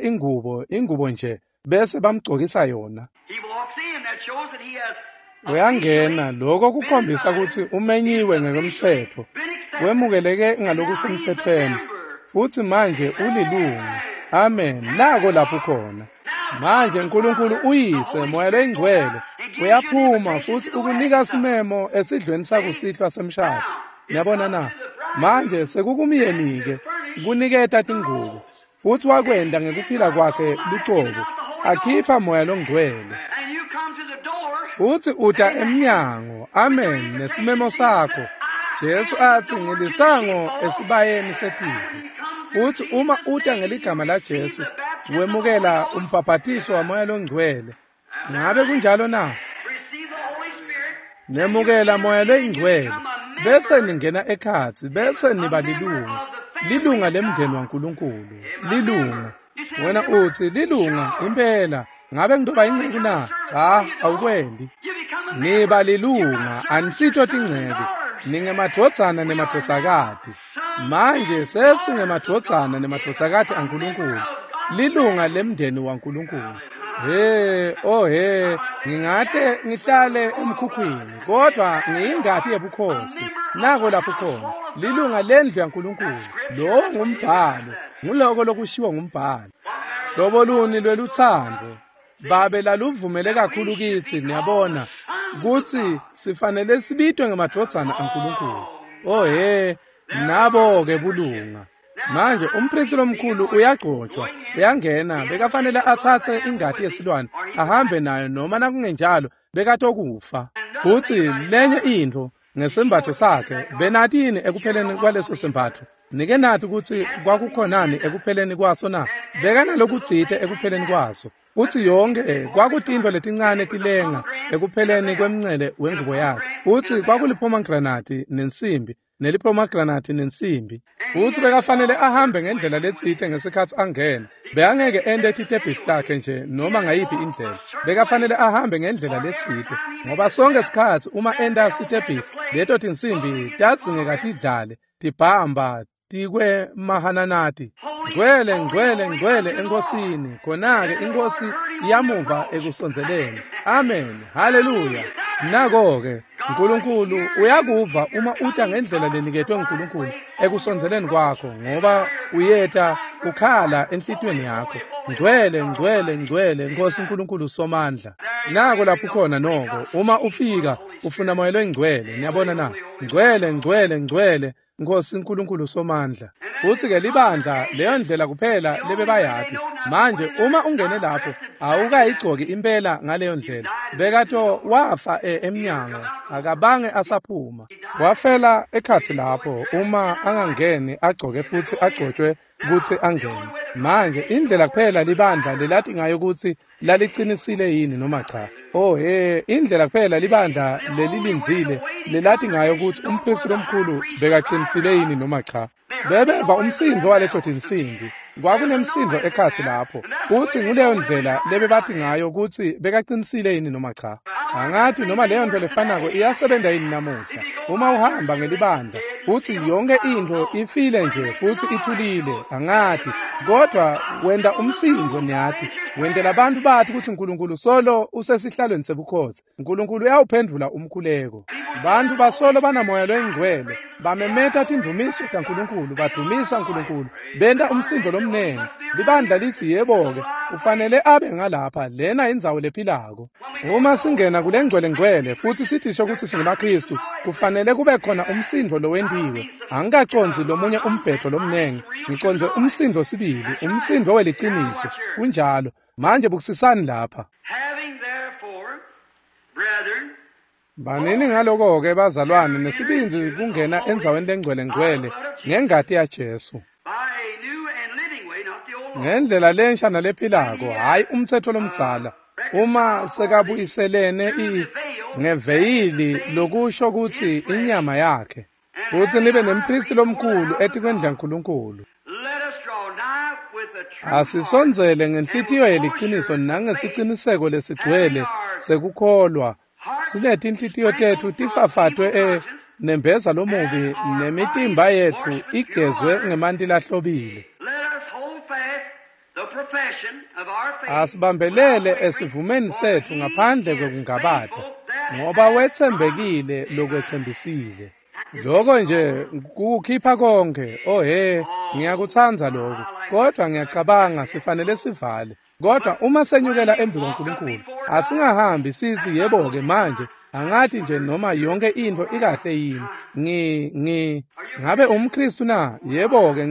ingubo nje, bese bamgcokisa yona. Uyangena, lokho kukhombisa kutsi umenyiwe ngekwemtsetfo, wemukeleke ngalokusemtsetfweni, futsi manje ulilunga. Amen. Nako lapho khona. Manje uNkulunkulu uyise Moya loyiNgcwele uyaphuma futsi ukunika simemo esidlweni sakusihlwa semshado. Niyabona na? Manje sekukumyeni-ke kuniketa tingubo, futsi wakwenta ngekuphila kwakhe lucobo, akhipha Moya loNgcwele. Futsi uta emnyango, amen, nesimemo sakho. Jesu atsi ngilisango esibayeni setive. Futsi uma uta ngeligama laJesu, wemukela umbhabhatiso waMoya loNgcwele. Ngabe kunjalo na? Nemukela Moya loyiNgcwele, bese ningena ekhatsi, bese niba lilunga. Lilunga lemndeni waNkulunkulu, lilunga. Wena utsi lilunga impela. Ngabe ngitoba inceku na? Cha, awukwendi. Niba lilunga, anisito tinceku. Ningemadvodzana nemadvodzakati. Manje sesingemadvodzana nemadvodzakati aNkulunkulu. Lilunga lemndeni waNkulunkulu. He, oh he, ngingahle ngihlale emkhukhwini, kodwa ngiyingati yebukhosi. Nako lapho khona, lilunga lendlu yaNkulunkulu. Lowo ngumbhalo, nguloko lokushiwo ngumbhalo. Hlobo luni lwelutsandvo Babe laluvumele kakhulu kitsi, niyabona, kutsi sifanele sibitwe ngemadvodzana aNkulunkulu. Oh he, nabo-ke bulunga. Manje umphristi lomkhulu uyagcotshwa, uyangena, bekafanele atsatse ingati yesilwane ahambe nayo, noma nakungenjalo bekatokufa. Futsi lenye intfo ngesembatfo sakhe, benati yini ekupheleni kwaleso sembatfo? Nike nati kutsi kwakukhonani ekupheleni kwaso na? Bekanalokutsite ekupheleni kwaso. Futsi yonke kwakutintfo letincane tilenga ekupheleni kwemncele wengubo yakhe. Futsi kwakulipomegranati nensimbi, nelipomegranati nensimbi. Futsi bekafanele ahambe ngendlela letsite ngesikhatsi angena. Bekangeke ente titebhisi takhe nje noma ngayiphi indlela. Bekafanele ahambe ngendlela letsite, ngoba sonke sikhatsi uma enta sitebhisi, leto tinsimbi tadzingeka tidlale, tibhamba tikwe mahananati. Ngcwele, ngcwele, ngcwele enkosini. Khona-ke inkosi iyamuva ekusondzeleni. Amen. Haleluya. Nako-ke uNkulunkulu uyakuva uma uta ngendlela leniketwe nguNkulunkulu ekusondzeleni kwakho, ngoba uyeta kukhala enhlitiyweni yakho. Ngcwele, ngcwele, ngcwele Nkosi uNkulunkulu Somandla. Nako lapho khona noko uma ufika ufuna Moya loyiNgcwele. Niyabona na? Ngcwele, ngcwele, ngcwele Nkosi uNkulunkulu Somandla. Futsi-ke libandla leyo ndlela kuphela lebebayati. Manje uma ungene lapho awukayigcoki impela ngaleyo ndlela. Bekato wafa emnyango, akabange asaphuma. Wafela ekhatsi lapho uma angangeni agcoke futsi agcotshwe kutsi angene. Manje indlela kuphela libandla lelati ngayo kutsi laliqinisile yini noma cha. Oh he, indlela kuphela libandla lelilindzile lelati ngayo kutsi umphristi lomkhulu bekaqinisile yini noma cha. Bebeva umsindvo waleto tinsimbi. Kwakunemsindvo ekhatsi lapho. Futsi nguleyo ndlela lebebati ngayo kutsi bekaqinisile yini noma cha. Angati noma leyo nto lefanako iyasebenza yini namuhla. Uma uhamba ngelibandla futsi yonke intfo ifile nje futsi ithulile, angati, kodwa wenta umsindvo, niyati, wentela abantu bathi kutsi uNkulunkulu solo usesihlalweni sebukhosi. uNkulunkulu uyawuphendvula umkhuleko. Bantu basolo banamoya loyingcwele, bamemeta tindvumiso taNkulunkulu, badumisa uNkulunkulu, benta umsindvo lomnene. Libandla litsi yebo-ke, ufanele abe ngalapha, lena indzawo lephilako. Uma singena kule ngcwele ngcwele futsi sithisho kutsi singemaKhristu, kufanele kube khona umsindvo lowentiwe. Angikacondzi lomunye umbhedo lomnene, ngicondze umsindvo sibili, umsindvo weliciniso. Kunjalo. Manje bukisisani lapha. Banini ngaloko-ke bazalwane nesibindzi kungena endzaweni lengcwele ngcwele ngengati yaJesu. Ngendlela lensha nalephilako, hhayi umtsetfo lomdzala. Uma sekabuyiselene ngeveyili lokusho kutsi inyama yakhe. Futsi nibe nempristi lomkhulu etikwendlu yaNkulunkulu. Asisondzele ngenhlitiyo yeliciniso nangesiciniseko lesigcwele sekukholwa. Sinetinhlitiyo tetfu tifafatwe nembeza lomubi nemitimba yetfu igezwe ngemanti lahlobile. Asibambelele esivumeni setfu ngaphandle kwekungabata, ngoba wetsembekile lokwetsembisile. Lokho nje kukhipha konke. Oh he, ngiyakutsandza lokho. Kodwa ngiyacabanga sifanele sivale. Kodwa uma senyukela embi kwaNkulunkulu, asingahambi sithi yebo-ke manje, angathi nje noma yonke into ikahle yini. Ngabe umKristu na? Yebo-ke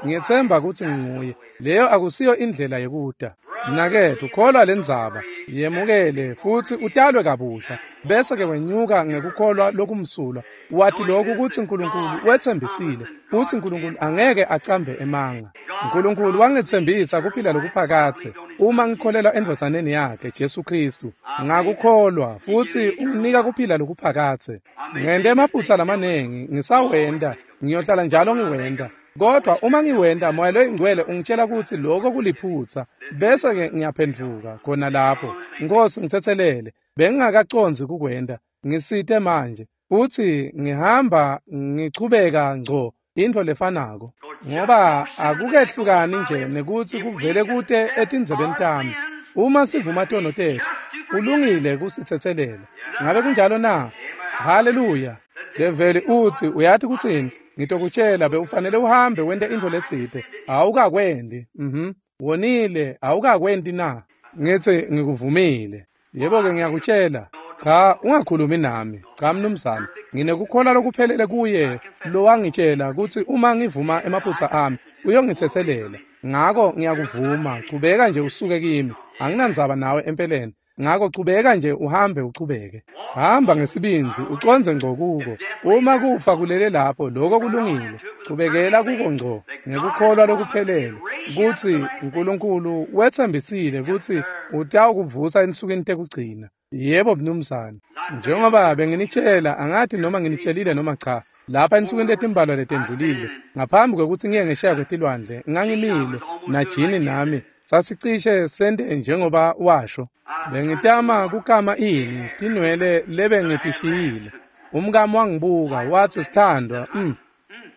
ngiyethemba ukuthi nginguye. Leyo akusiyo indlela yekuta. Mnaketfu, kholwa lendzaba, yemukele futsi utalwe kabusha, bese-ke wenyuka ngekukholwa lokumsulwa. Wathi lokhu kutsi Nkulunkulu wetsembisile, futsi Nkulunkulu angeke acambe emanga. Nkulunkulu wangetsembisa kuphila lokuphakadze uma ngikholelwa endvodzaneni yakhe Jesu Khristu. Ngakukholwa futsi unginika kuphila lokuphakadze. Ngente emaphutsa lamanengi, ngisawenta, ngiyohlala njalo ngiwenta. Kodwa uma ngiwenta, Moya loyiNgcwele ungitshela kutsi lokho kuliphutsa, bese-ke ngiyaphendvuka khona lapho. Nkosi, ngitsetselele, bengingakacondzi kukwenta, ngisite manje. Futsi ngihamba ngichubeka ngco intfo lefanako, ngoba akukehlukani nje nekutsi kuvele kute etindzebeni tami. Uma sivuma tono tetfu, ulungile kusitsetselela. Ngabe kunjalo na? Haleluya. Develi utsi, uyati kutsini? Ngitokutshela, bewufanele uhambe wente intfo letsite. Awukakwendi. Wonile, awukakwenti na? Ngithi ngikuvumile. Yebo-ke ngiyakutshela. Cha, ungakhulumi nami. Cha mnumzane, nginekukholwa lokuphelele kuye lowangitshela kutsi uma ngivuma emaphutsa ami, uyongitsetselela. Ngako ngiyakuvuma, chubeka nje usuke kimi. Anginandzaba nawe empeleni. Ngako chubeka nje uhambe uchubeke. Hamba ngesibindzi ucondze ngco kuko. Uma kufa kulele lapho, lokho kulungile. Chubekela kuko ngco ngekukholwa lokuphelele kutsi Nkulunkulu wetsembisile kutsi utawukuvusa ensukwini tekugcina. Yebo mnumzane. Njengoba benginitshela, angathi noma nginitshelile noma cha, lapha ensukwini letimbalwa letendlulile, ngaphambi kwekutsi ngiye ngesheya kwetilwandle, ngangimile naJini nami sasicishe sente njengoba washo. Bengitama kukama ini tinwele lebengitishiyile. Umkami wangibuka watsi, sithandwa,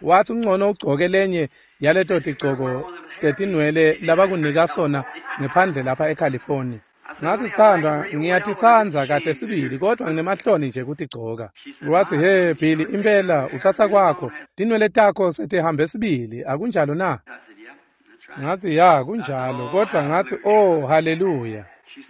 wathi ungcono ugcoke lenye yaleto tigcoko tetinwele labakunika sona ngephandle lapha eCalifornia. Ngathi, sithandwa, ngiyatitsandza kahle sibili, kodwa nginemahloni nje kutigcoka. Wathi, he Billy, impela utsatsa kwakho, tinwele takho setihambe sibili, akunjalo na? Ngathi, ya kunjalo, kodwa ngathi, oh haleluya.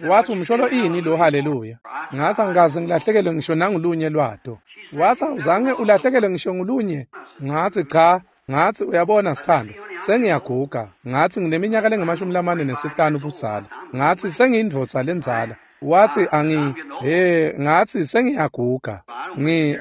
Wathi, umsholo ini lo haleluya? Ngathi, angikaze ngilahlekelwe ngisho nangulunye lwato. Wathi, awuzange ulahlekelwe ngisho ngulunye? Ngathi, cha. Ngathi, uyabona sithandwa, sengiyaguga. Ngathi, ngineminyaka lengu-45 budzala. Ngathi, sengiyindvodza lendzala. Wathi, ngathi sengiyaguga.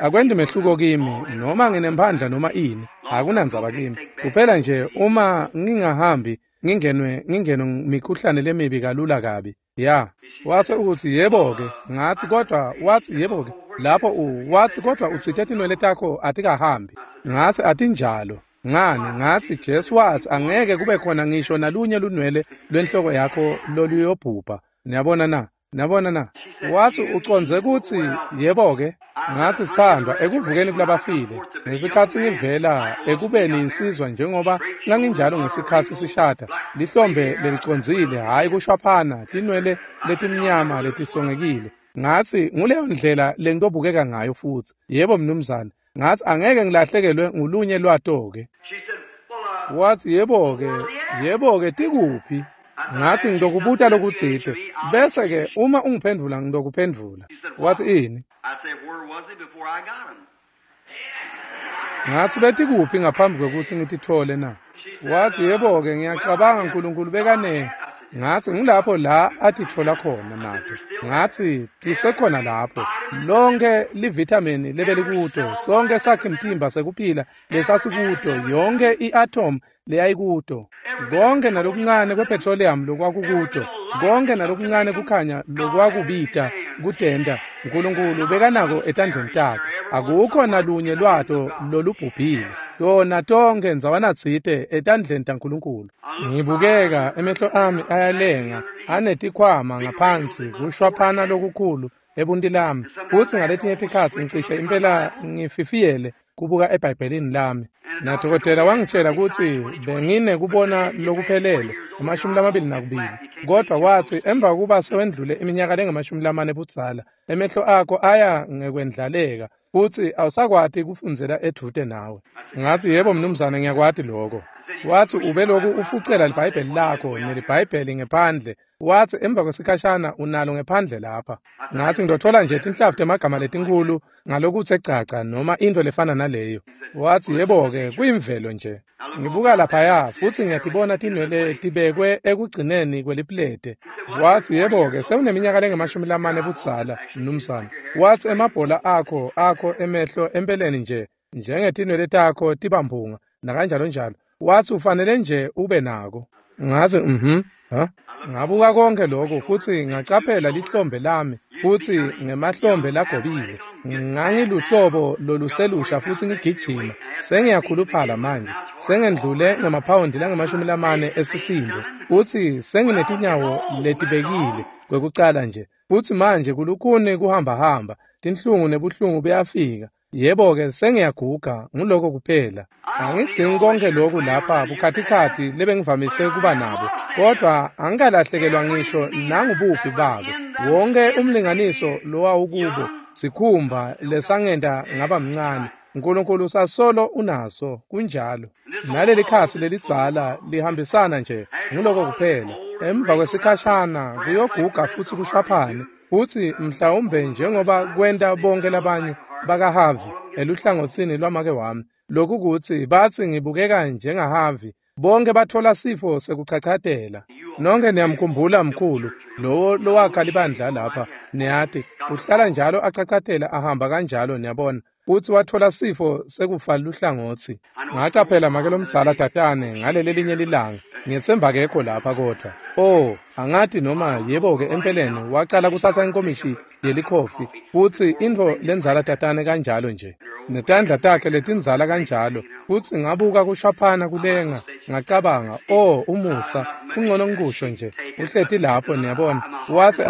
Akwendi mehluko kimi noma nginemphandla noma ini, akunandzaba kimi. Kuphela nje uma ngingahambi ngingenwe mikhuhlane lemibi kalula kabi. Ya. Wathi ukuthi yebo-ke. Ngathi kodwa, wathi yebo-ke. Lapho wathi kodwa utsite tinwele takho atikahambi. Ngathi atinjalo. Ngani? Ngathi Jesu wathi angeke kube khona ngisho nalunye lunwele lwenhloko yakho loluyobhubha. Niyabona na? Niyabona na? Wathi ucondze kutsi yebo-ke. Ngathi sithandwa, ekuvukeni kulabafile, ngesikhatsi ngivela ekubeni insizwa njengoba nganginjalo ngesikhatsi sishada, lihlombe lelicondzile, hhayi kushwaphana, tinwele letimnyama letisongekile. Ngathi nguleyo ndlela lengitobukeka ngayo futhi. Yebo mnumzane. Ngathi angeke ngilahlekelwe ngulunye lwato-ke. Wathi yebo-ke, yebo-ke tikuphi? Ngathi ngitokubuta lokutsite, bese-ke uma ungiphendvula ngitokuphendvula. Wathi ini? Ngathi betikuphi ngaphambi kwekutsi ngititfole na? Wathi yebo-ke, ngiyacabanga Nkulunkulu bekane. Ngatsi ngilapho la atitfola khona nato. Ngatsi tisekhona lapho. Lonke livithamini lebelikuto, sonke sakhe mtimba sekuphila lesasikuto, yonke i-atom leyayikuto, konke nalokuncane kwepetroleum lokwakukuto, konke nalokuncane kukhanya lokwakubita kutenta, Nkulunkulu bekanako etandleni takhe. Akukho nalunye lwato lolubhubhile. Tona tonke ndzawanatsite etandleni taNkulunkulu. Ngibukeka emehlo ami ayalenga anetikhwama ngaphansi kushwaphana lokukhulu ebunti lami, futsi ngaletinye tikhatsi ngicishe impela ngififiyele kubuka eBhayibhelini lami. Nadokotela wangitshela kutsi benginekubona lokuphelele 22, kodwa watsi emva kokuba sewendlule iminyaka lengama-40 budzala, emehlo akho aya ngekwendlaleka futsi awusakwati kufundzela edvute nawe. Ngatsi yebo mnumzane, ngiyakwati lokho. Watsi ubeloku ufucela liBhayibheli lakho neliBhayibheli ngephandle. Watsi emva kwesikhashana unalo ngephandle lapha. Ngatsi ngitotfola nje tinhlavu temagama letinkhulu ngalokutse caca noma into lefana naleyo. Watsi yebo-ke, kuyimvelo nje. Ngibuka laphaya futsi ngiyatibona tinwele tibekwe ekugcineni kweliplete. Watsi yebo-ke, sewuneminyaka lengama-40 budzala mnumzane. Watsi emabhola akho emehlo empeleni nje njengetinwele takho tibamphunga nakanjalo njalo. Watsi ufanele nje ube nako. Ngatsi Ngabuka konke lokho futsi ngacaphela lihlombe lami futsi ngemahlombe lagobile. Ngangiluhlobo loluselusha futsi ngigijima. Sengiyakhuluphala manje. Sengendlule ngemaphawundi langama-40 esisindo futsi senginetinyawo letibekile kwekucala nje. Futsi manje kulukhuni kuhambahamba, tinhlungu nebuhlungu buyafika. Yebo-ke, sengiyaguga, nguloko kuphela. Angidzingi konke lokhu lapha bukhatikhathi lebengivamise kuba nabo, kodwa angikalahlekelwa ngisho nangubuphi babo. Wonke umlinganiso lowawukubo, sikhumba lesangenta ngaba mncane, Nkulunkulu sasolo unaso, kunjalo. Naleli khasi lelidzala lihambisana nje, nguloko kuphela. Emva kwesikhashana kuyoguga futsi kushwaphane, futsi mhlawumbe njengoba kwenta bonke labanye bakaHarvey eluhlangotsini lwamake wami, lokukutsi batsi ngibukeka njengaHarvey, bonke batfola sifo sekuchachatela. Nonke niyamkhumbula mkhulu lowo lowakha libandla lapha, niyati uhlala njalo achachatela ahamba kanjalo, niyabona, futsi watfola sifo sekufa luhlangotsi. Ngacaphela make lomdzala tatane ngaleli linye lilanga, ngiyetsemba akekho lapha kodwa. Oh, angati noma yebo-ke empeleni wacala kutsatsa inkomishi yelikhofi futsi intfo lendzala tatane kanjalo nje, netandla takhe letindzala kanjalo, futsi ngabuka kushwaphana kulenga, ngacabanga, oh umusa, kungcono ngikusho nje, uhleti lapho niyabona. Watsi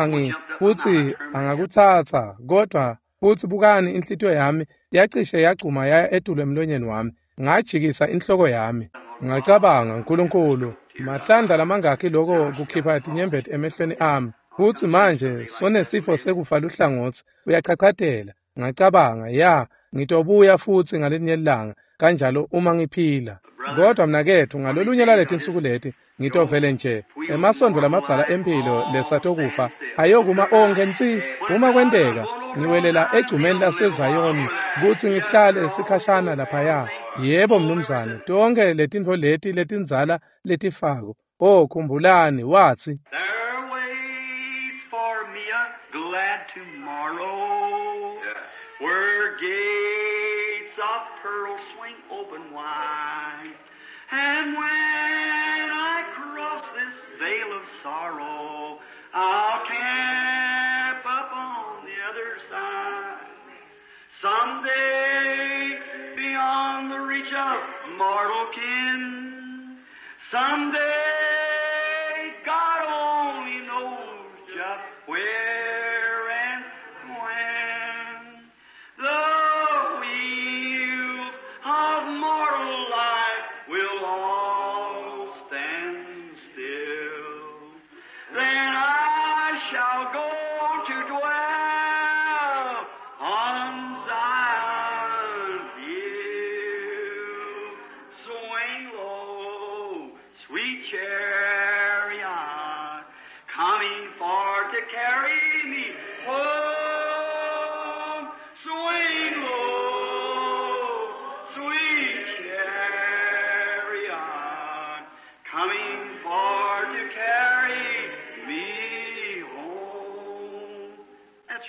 futsi angakutsatsa, kodwa futsi bukani inhlitiyo yami yacishe yagcuma yaya etulu emlonyeni wami, ngajikisa inhloko yami. Ngacabanga, Nkulunkulu, mahlandla lamangakhi loko kukhipha tinyembeti emehlweni ami, futsi manje sonesifo sekufa luhlangotsi, uyachachatela. Ngacabanga, ya, ngitobuya futsi ngalelinye ilanga kanjalo uma ngiphila. Kodwa mnaketfu, ngalolunye laletinsuku leti ngitovele nje emasondo lamadzala empilo lesatokufa ayokuma onke nsi. Uma kwenteka ngiwelela egcumeni laseZayoni kutsi ngihlale sikhashana laphaya. Yebo mnumzane, tonke letintfo leti letindzala letifako. Oh, khumbulani, watsi There waits for me a glad tomorrow, where gates of pearl swing open wide, and when I cross this vale of sorrow, I'll camp up on the other side. Someday, beyond the reach of mortal ken, someday, God only knows just where and when. The wheels of mortal life will all stand still. Then I shall go to dwell on Zion's hill. Swing low, sweet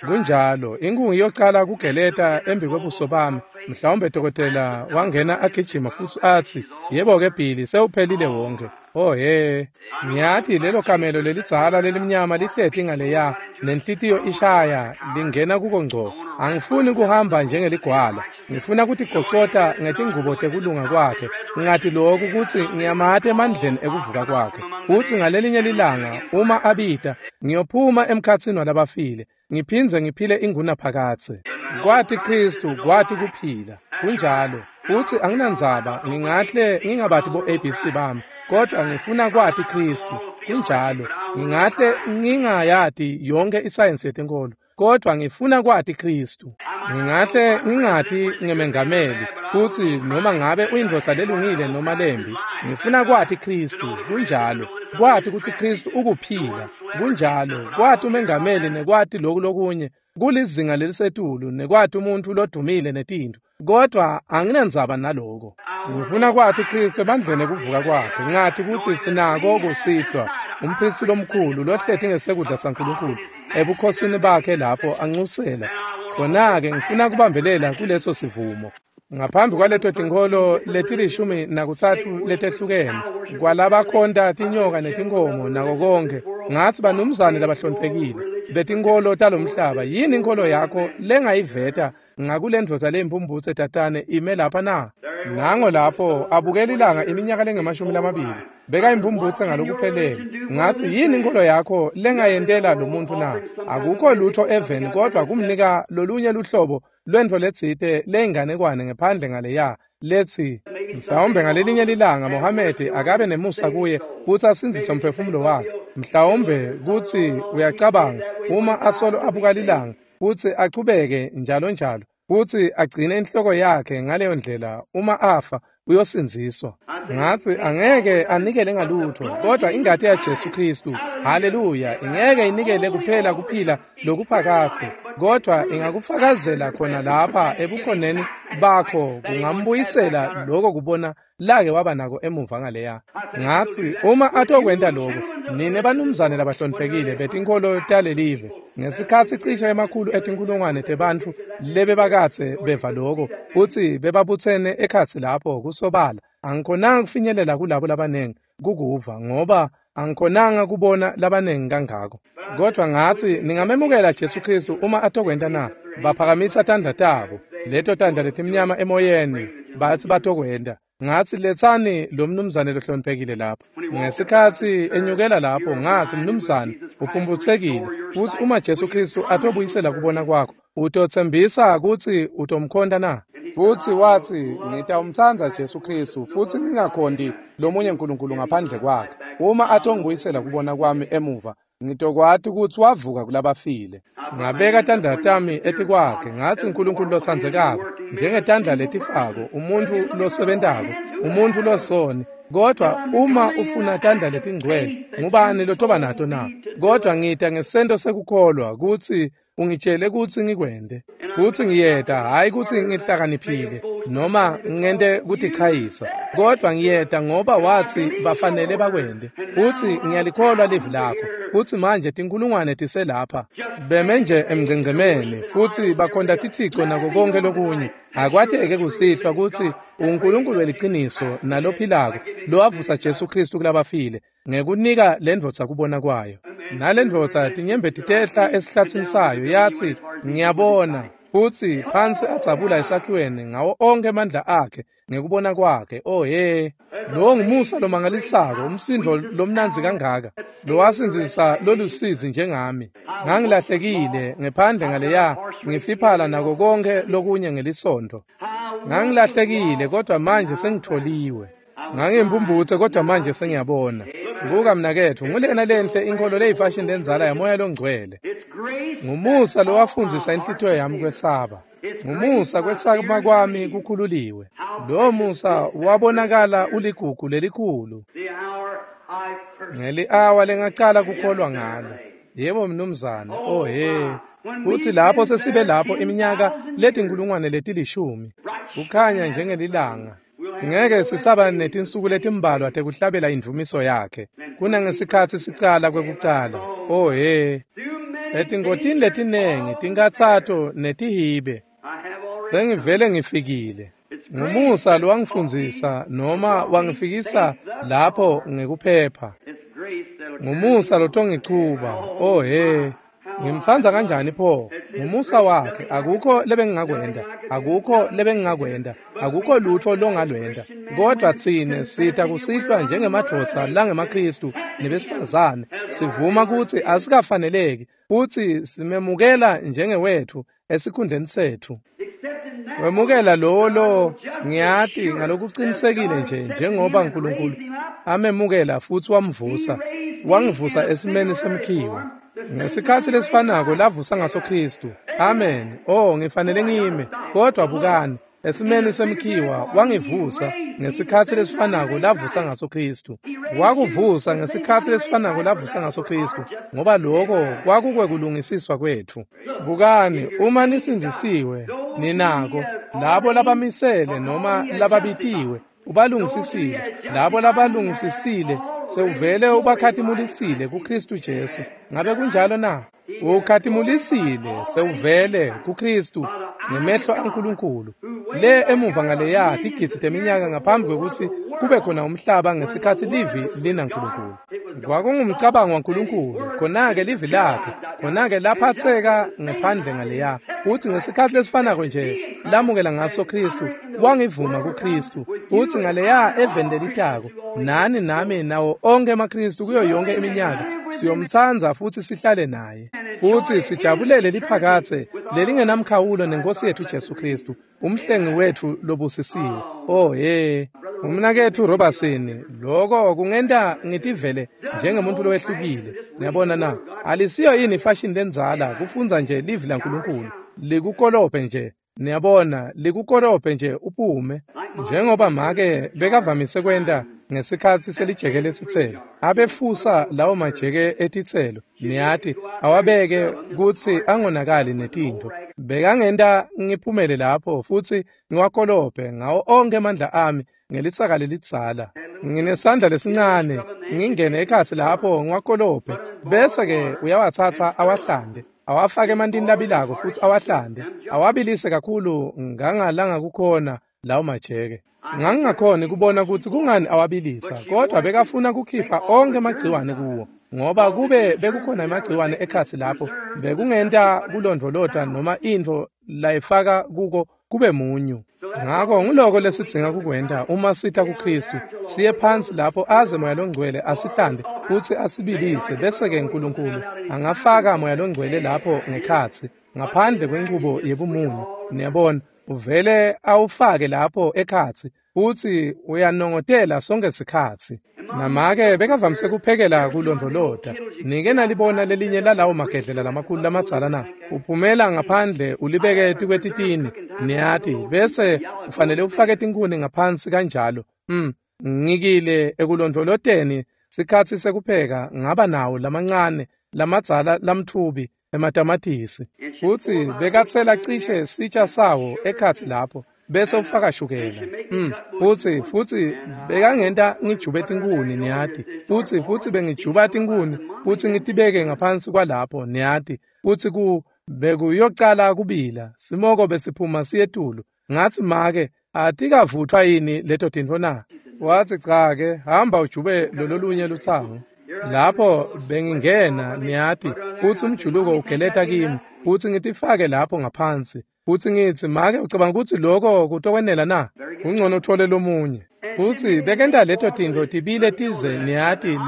Kunjalo, inkungu iyocala kugeleta embi kwebuso bami. Mhlawumbe dokotela wangena agijima futsi atsi, yebo-ke Billy, sewuphelile wonke. Oh he, ngiyati lelo kamelo lelidzala lelimnyama lihleti ngaleya, nenhlitiyo ishaya, lingena kuko ngco. Angifuni kuhamba njengeligwala, ngifuna kutigocota ngetingubo tekulunga kwakhe. Ngati lokhu kutsi ngiyamati emandleni ekuvuka kwakhe. Kutsi ngalelinye lilanga uma abita, ngiyophuma emkhatsini walabafile, ngiphindze ngiphile ingunaphakadze. Kwati Kristu, kwati kuphila. Kunjalo. Futsi anginandzaba, ngingahle ngingabati bo ABC bami, kodwa ngifuna kwati Kristu. Kunjalo. Ngingahle ngingayati yonke isayensi yetenkolo, kodwa ngifuna kwati Kristu. Ngingahle ngingati ngemengameli, futsi noma ngabe uyindvodza lelungile noma lembi, ngifuna kwati Kristu. Kunjalo. Kwati kutsi Kristu ukuphila. Kunjalo. Kwati umengameli nekwati loku lokunye kulizinga lelisetulu, nekwati umuntfu lodumile netintfo, kodwa anginandzaba naloko. Ngifuna kwati Kristu ebandleni ekuvuka kwakhe. Ngati kutsi sinako kusihlwa umphristi lomkhulu lohleti ngesekudla saNkulunkulu ebukhosini bakhe lapho anxusela. Khona-ke ngifuna kubambelela kuleso sivumo. Ngaphambi kwaleto tinkholo letilishumi nakutsatfu letehlukene, kwalabakhonta tinyoka netinkhomo nako konke, ngatsi banumzane labahloniphekile betinkholo talomhlaba, yini inkholo yakho lengayiveta ngakulendvodza leyimphumphutse tatane ime lapha na? Nango lapho abukela ilanga iminyaka lengamashumi lamabili, bekayimphumphutse ngalokuphelele. Ngatsi, yini inkholo yakho lengayentela lo muntu na? Akukho lutho eveni kodwa kumnika lolunye luhlobo lwentfo letsite leyinganekwane ngephandle ngaleya letsi mhlawumbe ngalelinye lilanga Mohamedi akabe nemusa kuye kutsi asindzise umphefumulo wakhe. Mhlawumbe kutsi uyacabanga uma asolo abuka lilanga kutsi achubeke njalo njalo, kutsi agcine inhloko yakhe ngaleyo ndlela, uma afa uyosindziswa. Ngatsi angeke anikele ngalutho, kodwa ingati yaJesu Kristu, haleluya, ingeke inikele kuphela kuphila lokuphakadze, kodwa ingakufakazela khona lapha ebukhoneni bakho, kungambuyisela lokho kubona lake waba nako emuva ngaleya. Ngatsi uma atokwenta lokho, nine banumzane labahloniphekile betinkholo talelive, ngesikhatsi cishe emakhulu etinkulungwane tebantfu lebebakadze beva lokho kutsi bebabutsene ekhatsi lapho kusobala, angikhonanga kufinyelela kulabo labanengi kukuva, ngoba angikhonanga kubona labanengi kangako. Kodwa ngatsi, ningamemukela Jesu Kristu uma atokwenta na? Baphakamisa tandla tabo, leto tandla letimnyama emoyeni, batsi batokwenta. Ngatsi, letsani lo mnumzane lohloniphekile lapho. Ngesikhatsi enyukela lapho, ngatsi, mnumzane, uphumphutsekile, futsi uma Jesu Kristu atobuyisela kubona kwakho, utotsembisa kutsi utomkhonta na? Futsi watsi, ngitawumtsandza Jesu Kristu futsi ngingakhonti lomunye nkulunkulu ngaphandle kwakhe. Uma atongibuyisela kubona kwami emuva, ngitokwati kutsi wavuka kulabafile. Ngabeka tandla tami etikwakhe, ngatsi, Nkulunkulu lotsandzekako, njengetandla letifako, umuntfu losebentako, umuntfu losoni, kodwa uma ufuna tandla letingcwele, ngubani lotoba nato na? Kodwa ngita ngesento sekukholwa kutsi ungitshele kutsi ngikwente, futsi ngiyeta, hhayi kutsi ngihlakaniphile noma ngente kutichayisa, kodwa ngiyeta ngoba watsi bafanele bakwente, futsi ngiyalikholwa livi lakho. Futsi manje tinkulungwane tiselapha beme nje emngcengcemeni futsi bakhonta tithico nako konke lokunye. Akwateke kusihlwa kutsi uNkulunkulu weliciniso nalophilako lowavusa Jesu Kristu kulabafile ngekunika lendvodza kubona kwayo. Nalendvodza tinyembeti tehla esihlatsini sayo, yatsi, ngiyabona. Futsi phansi adzabula esakhiweni ngawo onkhe emandla akhe ngekubona kwakhe. Oh he, lowo ngumusa lomangalisako, umsindvo lomnandzi kangaka lowasindzisa lolusizi njengami. Ngangilahlekile ngephandle ngaleya, ngifiphala nako konke lokunye ngelisontfo. Ngangilahlekile, kodwa manje sengitholiwe. Ngangimphumphutse, kodwa manje sengiyabona. Buka mnaketfu, ngulena lenhle inkholo leyifashini lendzala yamoya longcwele. Ngumusa lowafundzisa inhlitiyo yami kwesaba. Ngumusa kwesaba kwami kukhululiwe. Lowo musa wabonakala uligugu lelikhulu. Ngeli-awa lengacala kukholwa ngalo. Yebo mnumzane, oh he. Kutsi lapho sesibe lapho iminyaka letinkulungwane letilishumi, kukhanya njengelilanga. Ngeke sisaba netinsuku letimbalwa tekuhlabela indvumiso yakhe kunangesikhatsi sicala kwekucala. Oh he. Etingotini letinengi, tinkhatsato netihibe, sengivele ngifikile. Ngumusa lowangifundzisa noma wangifikisa lapho ngekuphepha. Ngumusa lotongichuba. Oh he, ngimtsandza kanjani pho? Ngumusa wakhe, akukho lebengingakwenta, akukho lebengingakwenta, akukho lutho longalwenta. Kodwa tsine sita kusihlwa njengemadvodza langemaKhristu nebesifazane, sivuma kutsi asikafaneleki futsi simemukela njengewetfu esikhundleni setfu. Wemukela lowo lo ngiyati ngalokuqinisekile nje njengoba uNkulunkulu amemukela futsi wamvusa, wangivusa esimeni semkhiwa. Ngesikhatsi lesifanako lavusa ngaso Khristu. Amen. Oh, ngifanele ngime. Kodwa bukani, esimeni semkhiwa wangivusa ngesikhatsi lesifanako lavusa ngaso Khristu. Wakuvusa ngesikhatsi lesifanako lavusa ngaso Khristu, ngoba lokho kwakukwekulungisiswa kwetfu. Bukani, uma nisindzisiwe, ninako labo labamisele noma lababitiwe ubalungisisile, labo labalungisisile sewuvele ubakhatimulisile kuKhristu Jesu. Ngabe kunjalo na? Ukhatimulisile sewuvele kuKhristu ngemehlo aNkulunkulu. Le emuva ngaleya tigidzi teminyaka ngaphambi kwekutsi kube khona umhlaba, ngesikhatsi livi linaNkulunkulu. Kwakungumcabango waNkulunkulu, khona-ke livi lakhe, khona-ke laphatseka ngephandle ngaleya. Futsi ngesikhatsi lesifanako nje lamukela ngaso Khristu, wangivuma kuKhristu. Futsi ngaleya eveni lelitako, nani nami nawo onkhe emaKhristu kuyo yonke iminyaka siyomtsandza futsi sihlale naye. Futsi sijabulele liphakatse lelingenamkhawulo nenkosi yethu Jesu Khristu, umhlengi wetfu lobusisiwe. Oh he, umnaketfu Robertson, lokho kungenta ngitivele njengemuntu lowehlukile. Niyabona na? Alisiyo yini ifashion lendzala kufundza nje livi laNkulunkulu likukolophe nje. Niyabona, likukolophe nje uphume, njengoba make bekavamise kwenta ngesikhatsi selijeke lesitselo. Abefusa lawo majeke etitselo, niyati, awabeke kutsi angonakali netintfo. Bekangenta ngiphumele lapho futsi ngiwakolophe ngawo onkhe emandla ami ngelisaka lelidzala. Nginesandla lesincane, ngingene ekhatsi lapho ngiwakolophe, bese-ke uyawatsatsa awahlande, awafake emantini labilako futsi awahlande, awabilise kakhulu ngangalangakukhona lawo majeke. Ngangingakhoni kubona kutsi kungani awabilisa, kodwa bekafuna kukhipha onkhe emagciwane kuwo, ngoba kube bekukhona emagciwane ekhatsi lapho, bekungenta kulondvolota noma intfo layifaka kuko kube munyu. Ngakho nguloko lesidzinga kukwenta uma sita kuKhristu, siye phansi lapho aze Moya Longcwele asihlande futsi asibilise, bese-ke uNkulunkulu angafaka Moya Longcwele lapho ngekhatsi, ngaphandle kwenchubo yebumunyu. Niyabona, uvele awufake lapho ekhatsi futsi uyanongotela sonke sikhatsi. Namake bekavamise kuphekela kulondvolota. Nike nalibona lelinye lalawo magedlela lamakhulu lamadzala na? Uphumela ngaphandle ulibeke etikwetitini, niyati, bese ufanele ufake tinkhuni ngaphansi kanjalo. Ngikile ekulondvoloteni sikhatsi sekupheka ngaba nawo lamancane lamadzala lamtfubi ematamatisi, futsi bekatsela cishe sitsha sawo ekhatsi lapho, bese ufaka shukela. Futsi bekangenta ngijube tinkhuni, niyati, futsi bengijuba tinkhuni futsi ngitibeke ngaphansi kwalapho, niyati, futsi bekuyocala kubila, simoko besiphuma siyetulu. Ngathi make, atikavutfwa yini leto tintfo na? Wathi cha ke, hamba ujube lololunye lutsango. Lapho bengingena, niyati, futsi umjuluko ugeleta kimi, futsi ngitifake lapho ngaphansi. Futsi ngitsi, make, ucabanga kutsi lokho kutokwenela na? Kungcono uthole lomunye. Futsi bekenta leto tintfo tibile tize, niyati,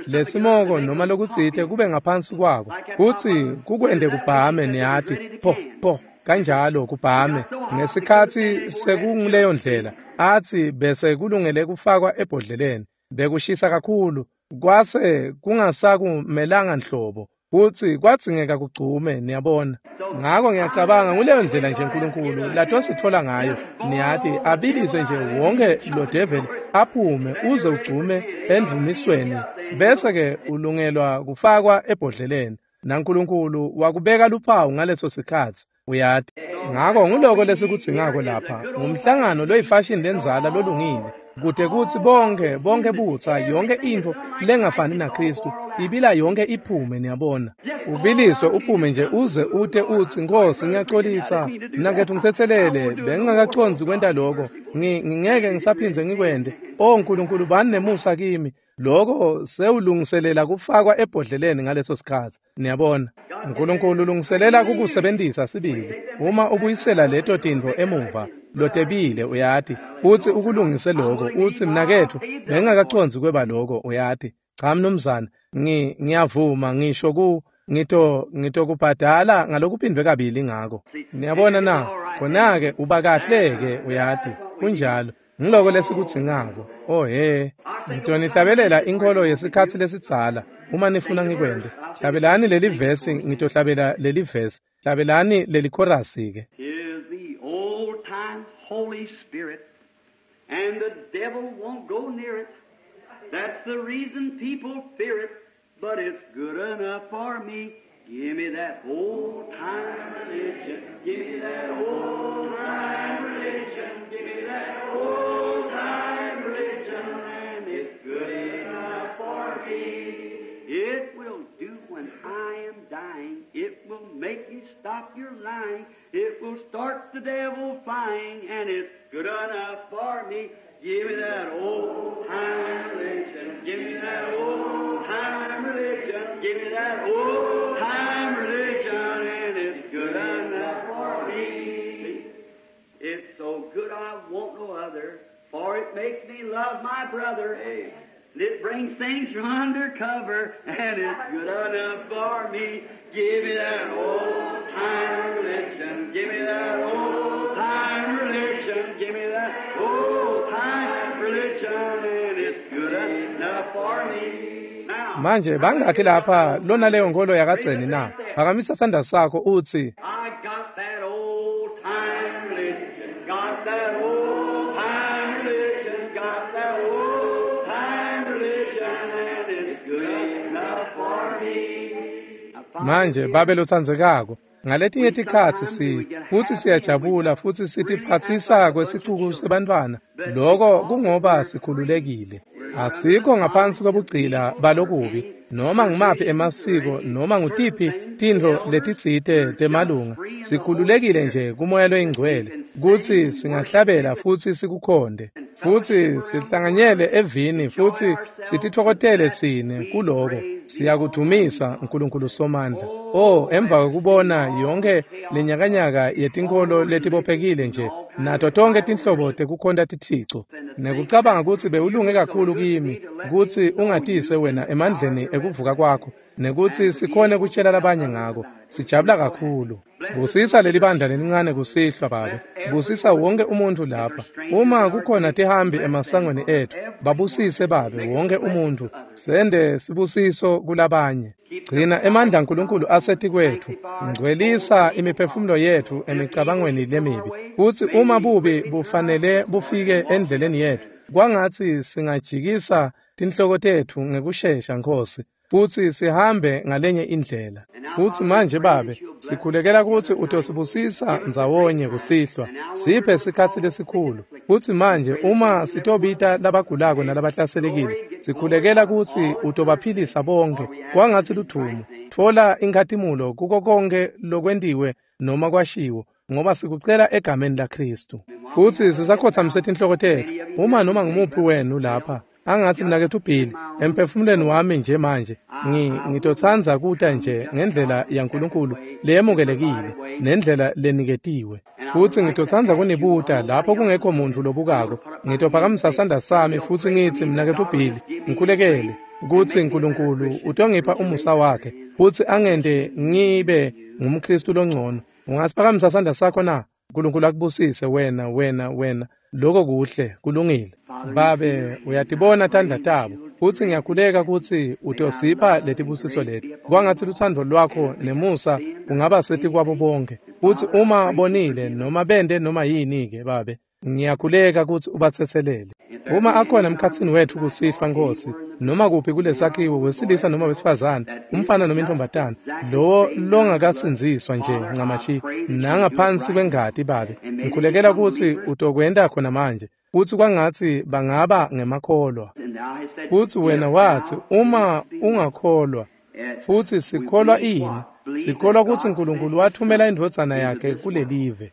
lesimoko noma lokutsite kube ngaphansi kwako, futsi kukwente kubhame, niyati, po po kanjalo kubhame. Ngesikhatsi sekunguleyo ndlela, atsi bese kulungele kufakwa ebhodleleni. Bekushisa kakhulu, kwase kungasakumelanga nhlobo, futsi kwadzingeka kugcume, niyabona. Ngakho ngiyacabanga nguleyo ndlela nje uNkulunkulu latositfola ngayo, niyati, abilise nje wonke lo devil aphume uze ugcume endvumisweni, bese-ke ulungelwa kufakwa ebhodleleni, naNkulunkulu wakubeka luphawu ngaleso sikhatsi, uyati. Ngakho nguloko lesikudzingako lapha, ngumhlangano loyifashion lendzala lolungile, kute kutsi bonke butsa yonke intfo lengafani naKhristu Ibila yonke iphume, niyabona. Ubiliswe uphume nje uze ute utsi, Nkosi, ngiyaxolisa, mnaketfu ngitsetselele, bengingakacondzi kwenta lokho, ngingeke ngisaphindze ngikwente. O Nkulunkulu, bani nemusa kimi. Lokho sewulungiselela kufakwa ebhodleleni ngaleso sikhatsi, niyabona. Nkulunkulu ulungiselela kukusebentisa sibili. Uma ubuyisela leto tintfo emuva, lotebile, uyati, futsi ukulungise lokho, utsi, mnaketfu, bengingakacondzi kweba lokho, uyati. Cha mnumzane, ngiyavuma ngisho ngitokubhadala ngalokuphindwe kabili ngako. Niyabona na? Khona-ke uba kahle-ke, uyati. Kunjalo. Ngiloko lesikudzingako. Oh he, ngitonihlabelela inkholo yesikhatsi lesidzala uma nifuna ngikwente. Hlabelani leli vesi, ngitohlabela leli vesi. Hlabelani leli chorus-ke. Is the old time Holy Spirit, and the devil won't go near it. That's the reason people fear it, but it's good enough for me. Give me that old time religion. Give me that old time religion. Give me that old time religion, and it's good enough for me. It will do when I am dying. It will make you stop your lying. It will start the devil flying, and it's good enough for me. Give me that old time religion. Give me that old time religion. Give me that old time religion, and it's good enough for me. It's so good I want no other, for it makes me love my brother. And it brings things from under cover, and it's good enough for me. Give me that old time religion. Give me that old time religion. Give me that old time religion, and it's good enough for me. Now, Manje bangakhi lapha lona leyo nkolo yakadzeni na? Phakamisa sandla sakho utsi, I got that old time religion. Got that old time religion. Got that old time religion, and it's good enough for me. Now, Father, Manje babe lotsandzekako, ngaletinye tikhatsi futsi siyajabula futsi sitiphatsisa kwesicuku sebantfwana. Lokho kungoba sikhululekile. Asikho ngaphansi kwebugcila balokubi, noma ngumaphi emasiko noma ngutiphi tintfo letitsite temalunga. Sikhululekile nje kumoya loyingcwele kutsi singahlabela futsi sikukhonde, futsi sihlanganyele evini futsi sititfokotele tsine kuloko. Siyakudumisa Nkulunkulu Somandla. Oh, emva kwekubona yonke lenyakanyaka yetinkholo letibophekile nje nato tonke tinhlobo tekukhonta tithico, nekucabanga kutsi bewulunge kakhulu kimi kutsi ungatise wena emandleni ekuvuka kwakho, nekutsi sikhone kutshela labanye ngako. Sijabula kakhulu. Busisa leli bandla lelincane kusihlwa, Babe. Busisa wonke umuntfu lapha. Uma kukhona tihambi emasangweni etfu, babusise, Babe, wonke umuntfu. Sende sibusiso kulabanye. Gcina emandla aNkulunkulu asetikwetfu. Ngcwelisa imiphefumulo yetfu emicabangweni lemibi. Futsi uma bubi bufanele bufike endleleni yetfu, kwangatsi singajikisa tinhloko tetfu ngekushesha, Nkosi, futsi sihambe ngalenye indlela. Futsi manje, Babe, sikhulekela kutsi utosibusisa ndzawonye kusihlwa. Siphe sikhatsi lesikhulu. Futsi manje uma sitobita labagulako nalabahlaselekile, sikhulekela kutsi utobaphilisa bonke. Kwangatsi ludvumo. Tfola inkhatimulo kuko konke lokwentiwe noma kwashiwo, ngoba sikucela egameni laKhristu. Futsi sisakhotsamise tinhloko tetfu. Uma noma ngumuphi wenu lapha, angatsi mnaketfu Billy, emphefumulweni wami nje manje, ngitotsandza kuta nje ngendlela yaNkulunkulu leyemukelekile nendlela leniketiwe. Futsi ngitotsandza kunibuta lapho kungekho muntfu lobukako. Ngitophakamisa sandla sami futsi ngitsi, mnaketfu Billy, ngikhulekele kutsi Nkulunkulu utongipha umusa wakhe futsi angente ngibe ngumKhristu longcono. Ungasiphakamisa sandla sakho na? Nkulunkulu akubusise wena, wena, wena. Lokho kuhle, kulungile. Babe, uyatibona tandla tabo, futsi ngiyakhuleka kutsi utosipha letibusiso leti. Kwangatsi lutsandvo lwakho nemusa kungaba setikwabo bonke. Futsi uma bonile noma bente noma yini-ke, Babe, ngiyakhuleka kutsi ubatsetselele. Uma akhona emkhatsini wetfu kusihlwa, Nkosi, noma kuphi kulesakhiwo, wesilisa noma wesifazane, umfana noma intombatana, lowo longakasindziswa nje ncamashi nangaphansi kwengati, Babe, ngikhulekela kutsi utokwenta khona manje. Futsi kwangatsi bangaba ngemakholwa. Futsi wena watsi, uma ungakholwa, futsi sikholwa ini? Sikholwa kutsi Nkulunkulu wathumela indvodzana yakhe kulelive,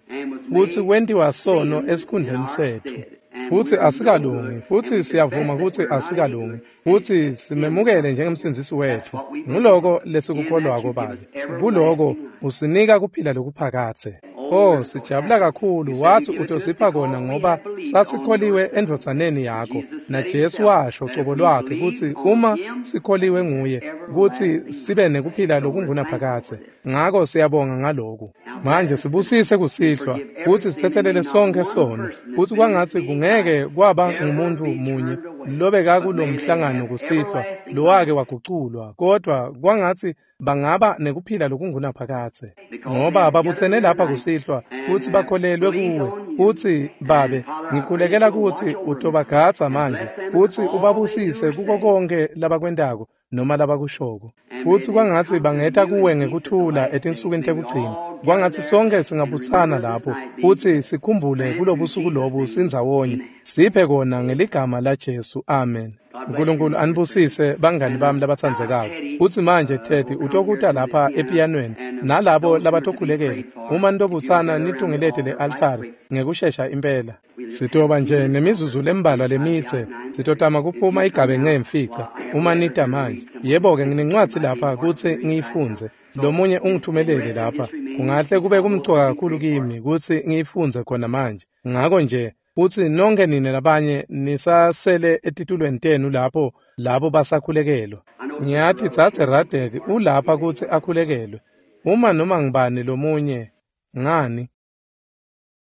futsi kwentiwa sono esikhundleni setfu. Futsi asikalungi, futsi siyavuma kutsi asikalungi, futsi simemukele njengemsindzisi wetfu. Nguloko lesikukholwako, Babe. Kuloko usinika kuphila lokuphakadze. Oh, sijabula kakhulu. Watsi utosipha kona ngoba sasikholiwe endvodzaneni yakho. NaJesu washo cobo lwakhe kutsi uma sikholiwe nguye, kutsi sibe nekuphila lokungunaphakadze. Ngako siyabonga ngaloku. Manje sibusise kusihlwa, futsi sitsetselele sonkhe sono. Futsi kwangatsi kungeke kwaba ngumuntu munye lobeka kulomhlangano kusihlwa lowake waguculwa, kodwa kwangatsi bangaba nekuphila lokungunaphakadze, ngoba babutsene lapha kusihlwa futsi bakholelwe kuwe. Futsi Babe, ngikhulekela kutsi utobagadza manje futsi ubabusise kuko konke labakwentako noma labakushoko. Futsi kwangatsi bangeta kuwe ngekuthula etinsukwini tekugcina. Kwangatsi sonke singabutsana lapho futsi sikhumbule kulobusuku lobu sindzawonye. Siphe kona ngeligama laJesu. Amen. Nkulunkulu anibusise bangani bami labatsandzekako. Futsi manje Teddy utokuta lapha epiyanweni nalabo labatokhulekela. Uma nitobutsana nitungelete le-altari ngekushesha impela. Sitoba nje nemizuzu lembalwa lemitse. Sitotama kuphuma igabe ngemfica uma nita manje. Yebo-ke, nginencwadzi lapha kutsi ngiyifundze. Lomunye ungithumelele lapha. Kungahle kube kumcoka kakhulu kimi kutsi ngiyifundze khona manje. Ngako nje futsi nonke nine labanye nisasele etitulweni tenu lapho labo basakhulekelwa. Ngiyati Dzadze Radek ulapha kutsi akhulekelwe. Uma noma ngibani lomunye, ngani?